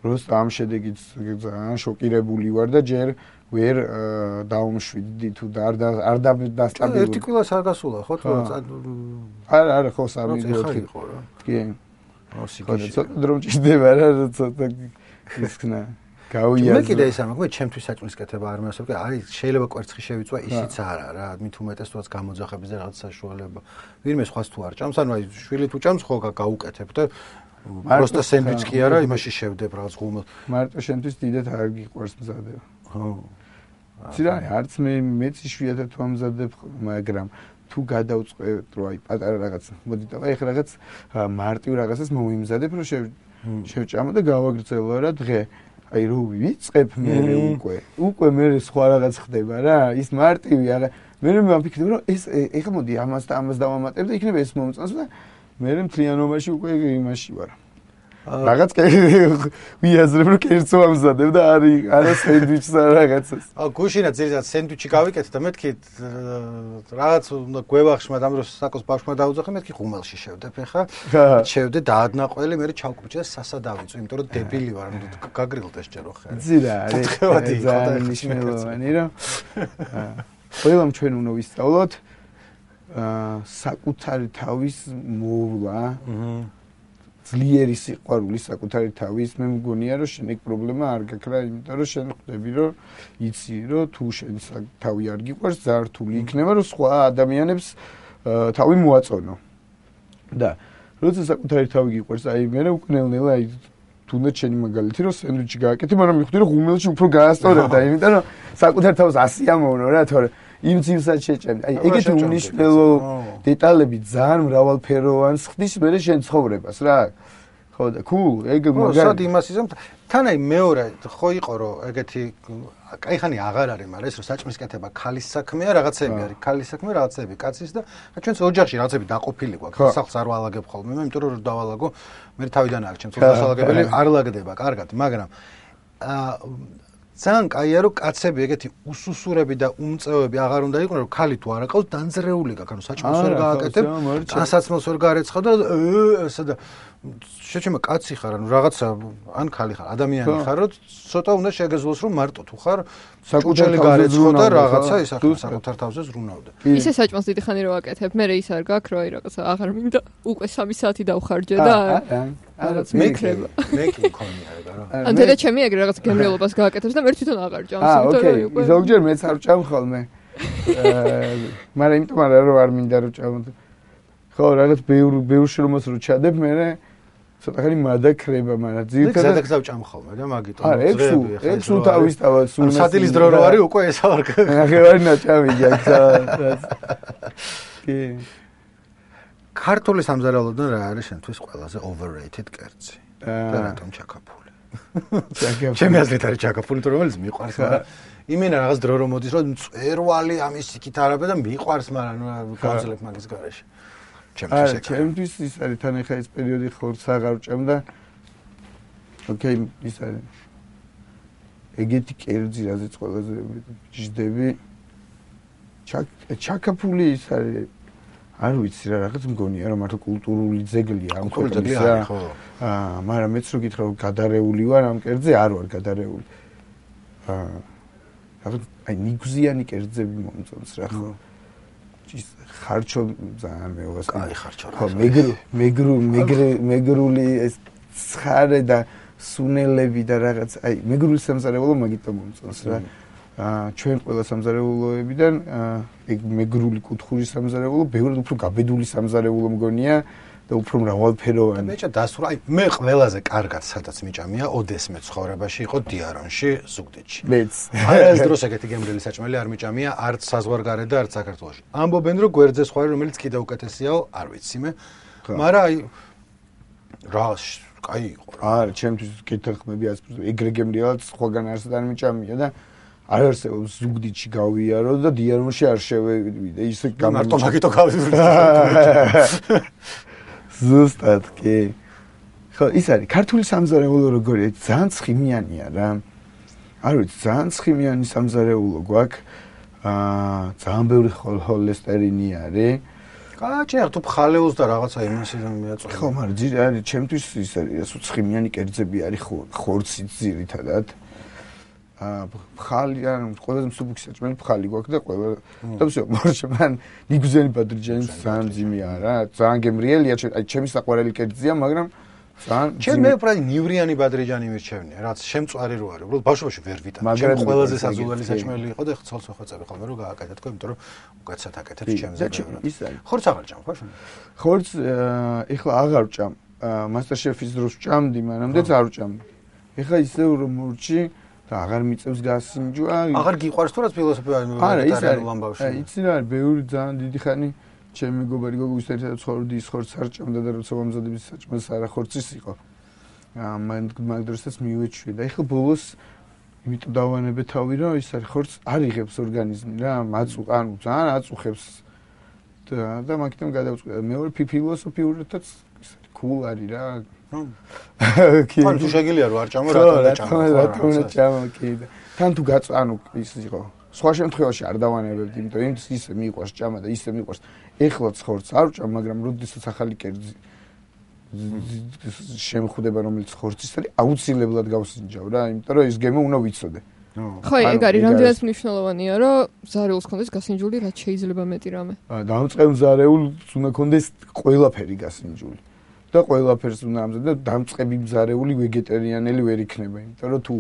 როცა ამ შედეგით ძალიან შოკირებული ვარ და ჯერ ვერ დაუმშვიდდი თუ არ არ დასტაბილურდი. ერთი კილოს არ გასულა ხო თუ არა არა ხო სამი ოთხი ხო რა. კი. ოსიკიში. ცოტა დრო მჭირდება რა ცოტა ისქნა. გავიაზრე. მე კიდე ის ამაქვს, მე ჩემთვის საჭმელსკეთება არ მეასწორე, არის შეიძლება კვერცხი შევიწვა, ისიც არა რა, მით უმეტეს თუაც გამოძახების და რაღაც საშუალება. ვინმე სხვას თუ არ ჭამს, ანუ აი შვილი თუ ჭამს, ხო გაუკეთებ და просто სენდვიჩი კი არა, იმაში შევდებ რაღაც ღუმელს. მარტო შენთვის დიდად არ გიყვარს მზადება. ხო. ცირა არც მე მეც იშვიათად თუ ამზადებ, მაგრამ თუ გადავწყვეტ რომ აი პატარა რაღაც მოდი და აი ხა რაღაც მარტივ რაღაცას მოვიმზადებ რომ შევჭამო და გავაგრძელო რა დღე აი რო ვიწყებ მე უკვე უკვე მე სხვა რაღაც ხდება რა ის მარტივი არა მე მე ვაფიქრებ რომ ეს ეხლა მოდი ამას და ამას დავამატებ და იქნება ეს მომწონს და მე მთლიანობაში უკვე იმაში ვარ რაღაც ვიაზრებ რომ კერძო ამზადებ და არის არა სენდვიჩს და რაღაცას აა გუშინა ძირითადად სენდვიჩი გავიკეთე და მეთქი რაღაც უნდა გვევახში მაგრამ რომ საკოს ბავშვმა დაუძახე მეთქი ღუმელში შევდებ ეხა შევდე დაადნაყველი მე ჩავკუჭე და სასა დავიწვი იმიტომ რომ დებილი ვარ გაგრილდეს ჯერო ხარ ძირა არის ძალიან მნიშვნელოვანი რა ყველამ ჩვენ უნდა ვისწავლოთ აა საკუთარი თავის მოვლა აჰა ძლიერი სიყვარული საკუთარი თავის მე მგონია რომ შენ ეგ პრობლემა არ გაქრა იმიტომ რომ შენ ხვდები რომ იცი რომ თუ შენ თავი არ გიყვარს ზართული იქნება რომ სხვა ადამიანებს თავი მოაწონო და როცა საკუთარი თავი გიყვარს აი მე უკვე ნელ-ნელა აი თუნდაც შენი მაგალითი რომ სენდვიჩი გააკეთე მაგრამ მივხვდი რომ ღუმელში უფრო გაასწორებდა იმიტომ რომ საკუთარ თავს ასი ამოვნო რა თორე იმ ძილსაც შეჭამდი. აი ეგეთი უნიშნელო დეტალები ძალიან მრავალფეროვანს ხდის მე შენ ცხოვრებას რა. ხო და cool, ეგ მაგარი. სად იმას ისე თან აი მეორე ხო იყო რომ ეგეთი кайხანი აღარ არის, მაგრამ ეს რომ საჭმისკეთება ქალის საქმეა, რაღაცები არის, ქალის საქმე, რაღაცები კაცის და ჩვენს ოჯახში რაღაცები დაყოფილი გვაქვს. სახლს არ ვალაგებ ხოლმე, მე იმიტომ რომ დავალაგო, მე თავიდან არ ჩემს დასალაგებელი არ ლაგდება, კარგად, მაგრამ აა ძალიან კაია რომ კაცები ეგეთი უსუსურები და უმწევები აღარ უნდა იყვნენ რომ ქალი თუ არ აყავს დანძრეული გაქვს ანუ საჭმელს ვერ გააკეთებ დასაცმელს ვერ გარეცხავ და ესა და შეჩემა კაცი ხარ ანუ რაღაცა ან ქალი ხარ ადამიანი ხარ რომ ცოტა უნდა შეგეძლოს რომ მარტო თუ ხარ საკუთარი გარეცხო და რაღაცა ისახე საკუთარ თავზე ზრუნავდა ისე საჭმელს დიდი ხანი რო აკეთებ მე ის არ გაქვს რომ აი რაღაცა აღარ მინდა უკვე სამი საათი დავხარჯე და რაღაც მეკრება მე კი მქონია ეგ არა ან დედა ჩემი ეგრე რაღაც გემრიელობას გააკეთებს და მე თვითონ აღარ ჭამს იმიტომ რომ უკვე ზოგჯერ მეც არ ჭამ ხოლმე მაგრამ იმიტომ არა რომ არ მინდა რომ ჭამო ხო რაღაც ბევრ ბევრ შრომას რო ჩადებ მე ცოტა ხანი მადაქრება მაგრამ ძირითადად ეგ გზავ ჭამ ხოლმე რა მაგიტო ძრები ხა ეგ სულ თავისთავად სულ სადილის დრო რო არის უკვე ეს არ აღარ ნაჭამი გაქცა კი ქართული სამზარეულოდან რა არის შენთვის ყველაზე overrated კერძი? და რატომ ჩაკაფული? ჩემი აზრით არის ჩაკაფული, თუ რომელიც მიყვარს, მაგრამ იმენა რაღაც დრო რომ მოდის, რომ მწვერვალი ამის იქით არაბა და მიყვარს, მაგრამ გავძლებ მაგის garaში. ჩემთვის ეს ჩემთვის ის არის თან ახლა ეს პერიოდი ხორცს აღარ ჭამ და ოკეი ის არის ეგეთი კერძი რაზეც ყველაზე ჯდები ჩაკაფული ის არის არ ვიცი რა რაღაც მგონია რომ მართლა კულტურული ძეგლია ამ ქვეყნის რა აა მაგრამ მეც რო გითხრა რომ გადარეული ვარ ამ კერძზე არ ვარ გადარეული აა რაღაც აი ნიგზიანი კერძები მომწონს რა ხო ის ხარჩო ძალიან მეუღეს კაი ხარჩო ხო მეგრუ მეგრუ მეგრული ეს ცხარე და სუნელები და რაღაც აი მეგრული სამზარეულო მაგითო მომწონს რა აა ჩვენ ყველა სამზარეულოებიდან ეგ მეგრული კუთხური სამზარეულო ბევრად უფრო გაბედული სამზარეულო მგონია და უფრო მრავალფეროვანი. მეჭა დასურა, აი მე ყველაზე კარგად სადაც მიჭამია ოდესმე ცხოვრებაში იყო დიარონში, ზუგდიდში. მეც. არა ეს დროს ეგეთი გემრიელი საჭმელი არ მიჭამია არც საზღვარგარეთ და არც საქართველოში. ამბობენ რომ გვერდზე სხვა რომელიც კიდევ უკეთესიაო, არ ვიცი მე. მაგრამ აი რა კაი იყო რა. არა, ჩემთვის კითხები ასპრეს ეგრე გემრიელად სხვაგან არც არ მიჭამია და არ არსებობს ზუგდიდში გავიარო და დიარონში არ შევიდე ისე გამარტო მაგითო გავიდე. ზუსტად კი. ხო, ის არის ქართული სამზარეულო როგორია, ძალიან ცხიმიანია რა. არ ვიცი, ძალიან ცხიმიანი სამზარეულო გვაქვს. აა, ძალიან ბევრი ჰოლესტერინი არის. კაჭი, თუ ფხალეულს და რაღაცა იმასიდან მიაწვევ. ხო, მაგრამ ძირი არის, ჩემთვის ის არის, ასო ცხიმიანი კერძები არის ხორცი ძირითადად. ხალი ან ყველაზე მსუბუქი საჭმელი ხალი გვაქვს და ყველა და всё მორჩა მან ნიგზენი ბადრიჯანი ძალიან ძიმია რა ძალიან გემრიელია აი ჩემი საყვარელი კერძია მაგრამ ჩემ მე უფრო ნივრიანი ბადრიჯანი მირჩევნია რაც შემწვარი რო არის უბრალოდ ბავშვობაში ვერ ვიტან ჩემ ყველაზე საზულელი საჭმელი იყო და ხცოლს ვეხვეწები ხოლმე რომ გააკეთეთქო იმიტომ რომ უკაცად აკეთებს ჩემზე ის არის ხორც აღარ ჭამ ხო ხორც ეხლა აღარ ჭამ მასტერ შეფის დროს ჭამდი მანამდეც არ ჭამდი ეხლა ისე რომ მურჩი და აღარ მიწევს გასინჯვა აღარ გიყვარს თუ რაც ფილოსოფია ვეგეტარიანულ ამბავში იცი რა არის ბევრი ძალიან დიდი ხანი ჩემი მეგობარი გოგოს ერთად ცხოვრობდი ის ხორცს არ ჭამდა და როცა მომზადების საჭმელს არა ხორცის იყო მან მაგ დროსაც მივეჩვი და ეხლა ბოლოს იმიტომ დავანებე თავი რომ ის არის ხორცს არ იღებს ორგანიზმი რა მაწუ ანუ ძალიან აწუხებს და და მაგიტომ გადავწყვიტე მეორე ფილოსოფიურითაც ის არის cool არის რა ანუ თუ შეგიძლია რომ არ ჭამო რატომ და ჭამო რატომ და ჭამო კი და თან თუ გაწ ანუ ის იყო სხვა შემთხვევაში არ დავანებებდი იმიტომ იმ ისე მიყვარს ჭამა და ისე მიყვარს ეხლა ხორცს არ ჭამ მაგრამ როდესაც ახალი კერძი შემხვდება რომელიც ხორცის არის აუცილებლად გავსინჯავ რა იმიტომ რომ ის გემო უნდა ვიცოდე ხო ეგ არის რამდენად მნიშვნელოვანია რომ ზარეულს კონდეს გასინჯული რაც შეიძლება მეტი რამე დამწყებ ზარეულს უნდა კონდეს ყველაფერი გასინჯული და ყველაფერს უნდა ამზადო და დამწყები ზარეული ვეგეტარიანელი ვერ იქნება იმიტომ რომ თუ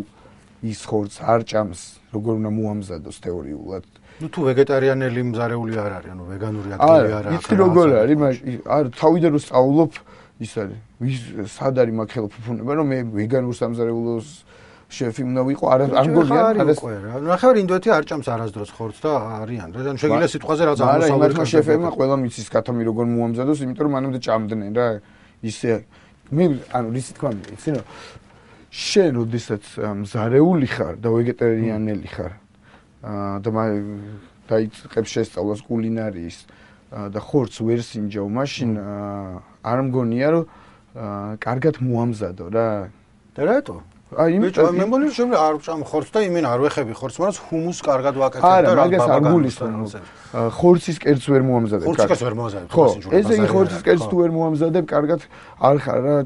ის ხორცს არ ჭამს როგორ უნდა მოამზადოს თეორიულად ну თუ ვეგეტარიანელი მზარეული არ არის ანუ ვეგანური ადგილი არ არის იცი როგორ არის არ თავიდან რომ სწავლობ ის არის ვის სად არის მაგ ხელფუფუნება რომ მე ვეგანურ სამზარეულოს შეფი უნდა ვიყო არ არ გონია არის რა ნახევარი ინდოეთი არ ჭამს არასდროს ხორცს და არიან რა ანუ შეგიძლია სიტყვაზე რაც აღმოსავლეთ შეფებმა ყველა მიცის კათამი როგორ მოამზადოს იმიტომ რომ მანამდე ჭამდნენ რა ისე მე ანუ ისი თქვა იცი რა შენ როდესაც მზარეული ხარ და ვეგეტარიანელი ხარ და დაიწყებს შესწავლას კულინარიის და ხორცს ვერ სინჯავ მაშინ არ მგონია რომ კარგად მოამზადო რა და რატო აი იმიტომ მე მგონი რომ არ ვჭამ ხორცს და იმენ არ ვეხები ხორცს მაგრამ ჰუმუსს კარგად ვაკეთებ და რა მაგას არ გულისხმობ ხორცის კერძს ვერ მოამზადებ ხორცს ვერ მოამზადებ ხო ესე იგი ხორცის კერძს თუ ვერ მოამზადებ კარგად არ ხარ რა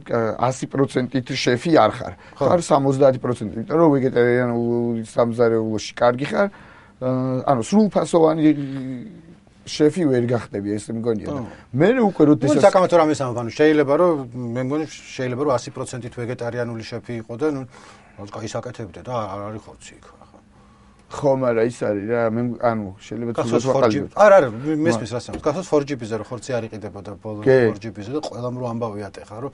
ასი პროცენტით შეფი არ ხარ ხარ სამოცდაათი პროცენტით იმიტომ რომ ვეგეტარიანულ სამზარეულოში კარგი ხარ ანუ სრულფასოვანი შეფი ვერ გახდები ესე მგონია და მე უკვე როდესაც საკამათო რამეს ამბობ ანუ შეიძლება რომ მე მგონი შეიძლება რომ ასი პროცენტით ვეგეტარიანული შეფი იყო და ნუ კაი საკეთებდე და არ არის ხორცი იქ ხო მაგრამ ის არის რა მე ანუ შეიძლება თუნდაც ვაყალიბ არ არ მესმის რას ამბობ გახსოვს four G B-ზე რომ ხორცი არ იყიდებოდა ბოლოს four G B-ზე და ყველამ რო ამბავი ატეხა რომ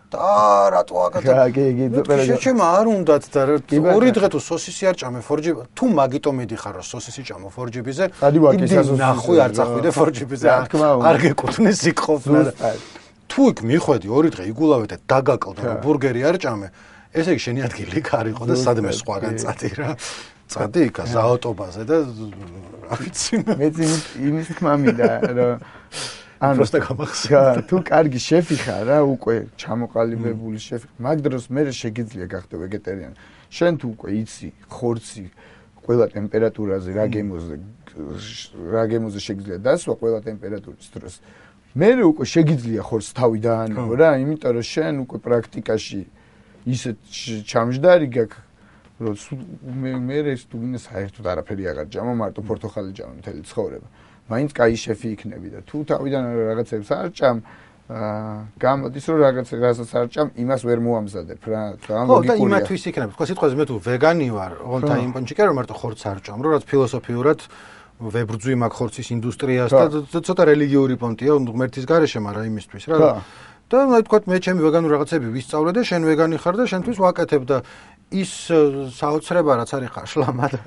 და რატო აკეთებ? კი, კი, კი. შეჩემ არ უნდათ და ორი დღე თუ სოსისი არ ჭამე four G B-ზე, თუ მაგიტო მიდიხარ რომ სოსისი ჭამო four G B-ზე, იდი ნახვი არ წახვიდე four G B-ზე. არ გეკუთვნეს იქ ყოფნა. თუ იქ მიხვედი ორი დღე იგულავე და დაგაკლდა რომ ბურგერი არ ჭამე, ესე იგი შენი ადგილი იქ არ იყო და სადმე სხვაგან წადი რა. წადი იქ ზაოტობაზე და რა ვიცი მე იმის თქმა მინდა რომ ანუ просто გამახსენე. თუ კარგი შეფი ხარ რა, უკვე ჩამოყალიბებული შეფი, მაგ დროს მე შეგიძლია გახდე ვეგეტარიანი. შენ თუ უკვე იცი ხორცი ყველა ტემპერატურაზე რა გემოზე რა გემოზე შეგიძლია დასვა ყველა ტემპერატურის დროს. მე უკვე შეგიძლია ხორცს თავი დაანებო რა, იმიტომ რომ შენ უკვე პრაქტიკაში ისეთ ჩამჯდარი გაქვს რომ მე მე ეს თუ გინდა საერთოდ არაფერი აღარ ჭამო, მარტო პორტოხალი ჭამე მთელი ცხოვრება. მაინც კაი შეფი იქნები და თუ თავიდან რაღაცებს არ ჭამ, გამოდის რომ რაღაც რასაც არ ჭამ, იმას ვერ მოამზადებ რა. ძალიან ლოგიკურია. ხო, და იმათვის იქნები. თქვა სიტყვაზე მე თუ ვეგანი ვარ, ოღონდ იმ პონჩიკა რომ მარტო ხორცს არ ჭამ, რომ რაც ფილოსოფიურად ვებრძვი მაგ ხორცის ინდუსტრიას და ცოტა რელიგიური პონტია ღმერთის გარეშე, მაგრამ იმისთვის რა. და აი თქვა მე ჩემი ვეგანური რაღაცები ვისწავლე და შენ ვეგანი ხარ და შენთვის ვაკეთებ და ის საოცრება რაც არის ხაშლამა და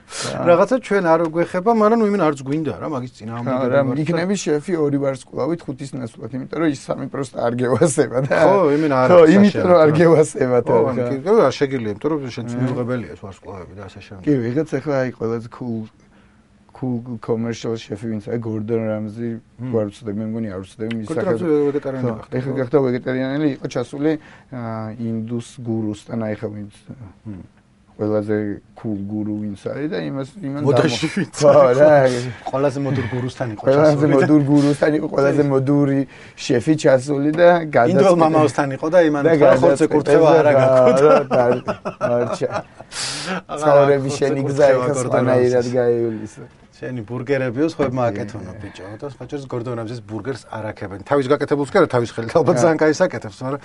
რაღაცა ჩვენ არ გვეხება, მაგრამ იმენ არც გვინდა რა მაგის წინააღმდეგ. რა იქნები შეფი ორი ვარსკვლავით ხუთის ნაცვლად, იმიტომ რომ ის სამი პროსტა არ გევასება და ხო, იმენ არ ხო, იმიტომ რომ არ გევასება და ხო, კი, რა შეგიძლია, იმიტომ რომ შენც მიუღებელია ეს ვარსკვლავები და ასე შემდეგ. კი, ვიღაც ახლა აი ყველაზე cool cool commercial chef ვინც აი გორდონ რამზი ვარ ვწდები მე მგონი არ ვწდები მის საკითხი ვეგეტარიანელი ხარ ეხლა გახდა ვეგეტარიანელი იყო ჩასული ინდუს გურუსთან აი ხა ვინც ყველაზე cool guru ვინც არის და იმას იმან მოდაში ვინც ხო რა ყველაზე მოდურ გურუსთან იყო ყველაზე მოდურ გურუსთან იყო ყველაზე მოდური შეფი ჩასული და გადაწყვეტა ინდოელ მამაოსთან იყო და იმან ხორცე კურთხევა არა გაქონდა მარჩა საურები შენი გზა ეხა სპანაირად გაივლისა შენი ბურგერებიოს ხოებმა აკეთონო ბიჭო და სხვაჯერს გორდონ რამზის ბურგერს არ აკეთებენ თავის გაკეთებულს კი არა თავის ხელით ალბათ ძალიან კაი საკეთებს მაგრამ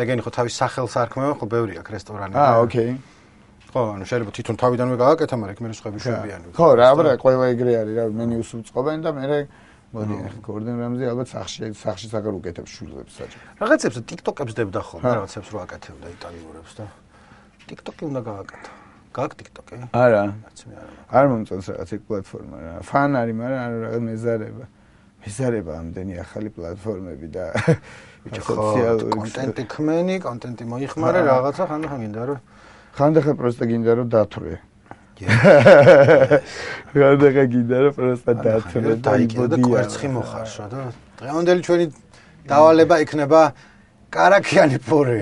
ეგენი ხო თავის სახელს არქმევენ ხო ბევრი აქვს რესტორანი აა ოკეი ხო ანუ შეიძლება თვითონ თავიდანვე გააკეთა მაგრამ იქ მე სხვები შვებიან ხო რა აბა ყველა ეგრე არის რა მენიუს უწყობენ და მე მოდი გორდონ რამზი ალბათ სახში სახში საგარ უკეთებს შვილებს საჭირო რაღაცებს TikTok-ებს დებდა ხოლმე რაღაცებს რო აკეთებდა იტალიურებს და TikTok-ი უნდა გააკეთა გააკ TikTok-ი არა არ მომწონს რაღაც ეგ პლატფორმა რა ფან არის მაგრამ არ რაღაც მეზარება მეზარება ამდენი ახალი პლატფორმები და სოციალური კონტენტი ქმენი კონტენტი მოიხმარე რაღაცა ხანდახან გინდა რომ ხანდახან პროსტა გინდა რომ დათვრე ხანდახან გინდა რომ პროსტა დათვრე და კვერცხი მოხარშვა და დღევანდელი ჩვენი დავალება იქნება კარაქიანი პური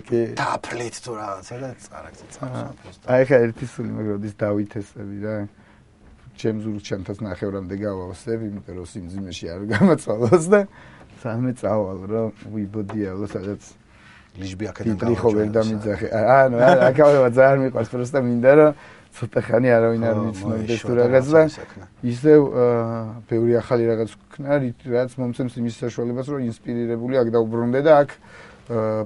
კი დაფლით თუ რაღაცა და წარაკზე წავს აი ხა ერთი სული მეგროდის დავითესები რა ჩემს ურჩანთას ნახევრამდე გავავსებ იმიტომ რომ სიმძიმეში არ გამაწვალოს და სამე წავალ რომ ვიბოდიალო სადაც ლიჟბი აქედან გავაჩვენე ხო ვერ დამიძახე ანუ აკავება ძალიან მიყვარს პროსტა მინდა რომ ცოტა ხანი არავინ არ მიცნობდეს თუ რაღაც და ისევ ბევრი ახალი რაღაც ვქნა რაც მომცემს იმის საშუალებას რომ ინსპირირებული აქ დაუბრუნდე და აქ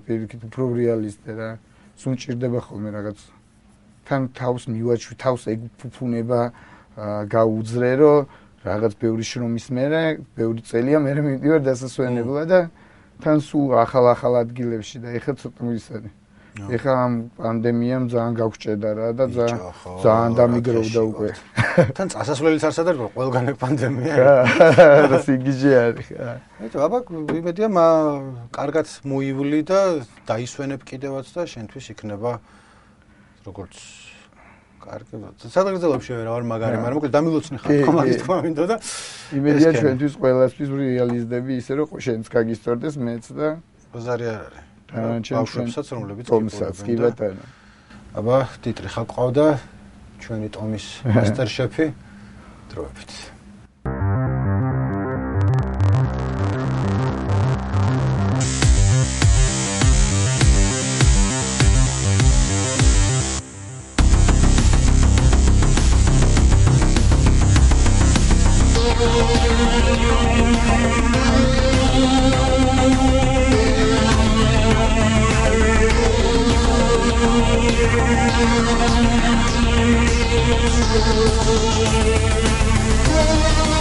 პირიქით უფრო რეალისტე რა სულ ჭირდება ხოლმე რაღაც თან თავს მივაჩვი თავს ეგ ფუფუნება გაუძრე რომ რაღაც ბევრი შრომის მერე ბევრი წელია მერე მივიდივარ დასასვენებლად და თან სულ ახალ-ახალ ადგილებში და ეხლა ცოტა მისარი ეხლა ამ პანდემიამ ძალიან გავჭედა რა და ძალიან ძალიან დამიგროვდა უკვე თან წასასვლელიც არ სადარგო ყველგან ეგ პანდემია და სიგიჟე არის ეტო აბა იმედია კარგად მოივლი და დაისვენებ კიდევაც და შენთვის იქნება როგორც კარგი სადღეგრძელებში რა ვარ მაგარი მაგრამ მოკლედ დამილოცნი ხარ კომანდის თქმა მინდა და იმედია ჩვენთვის ყველასთვის რეალიზდები ისე რომ შენც გაგისწორდეს მეც და ბაზარი არ არის ბავშვებსაც რომლებიც კი ბატონო აბა ტიტრი ხა ყავდა ჩვენი ტომის მასტერ შეფი დროებით We'll be right back.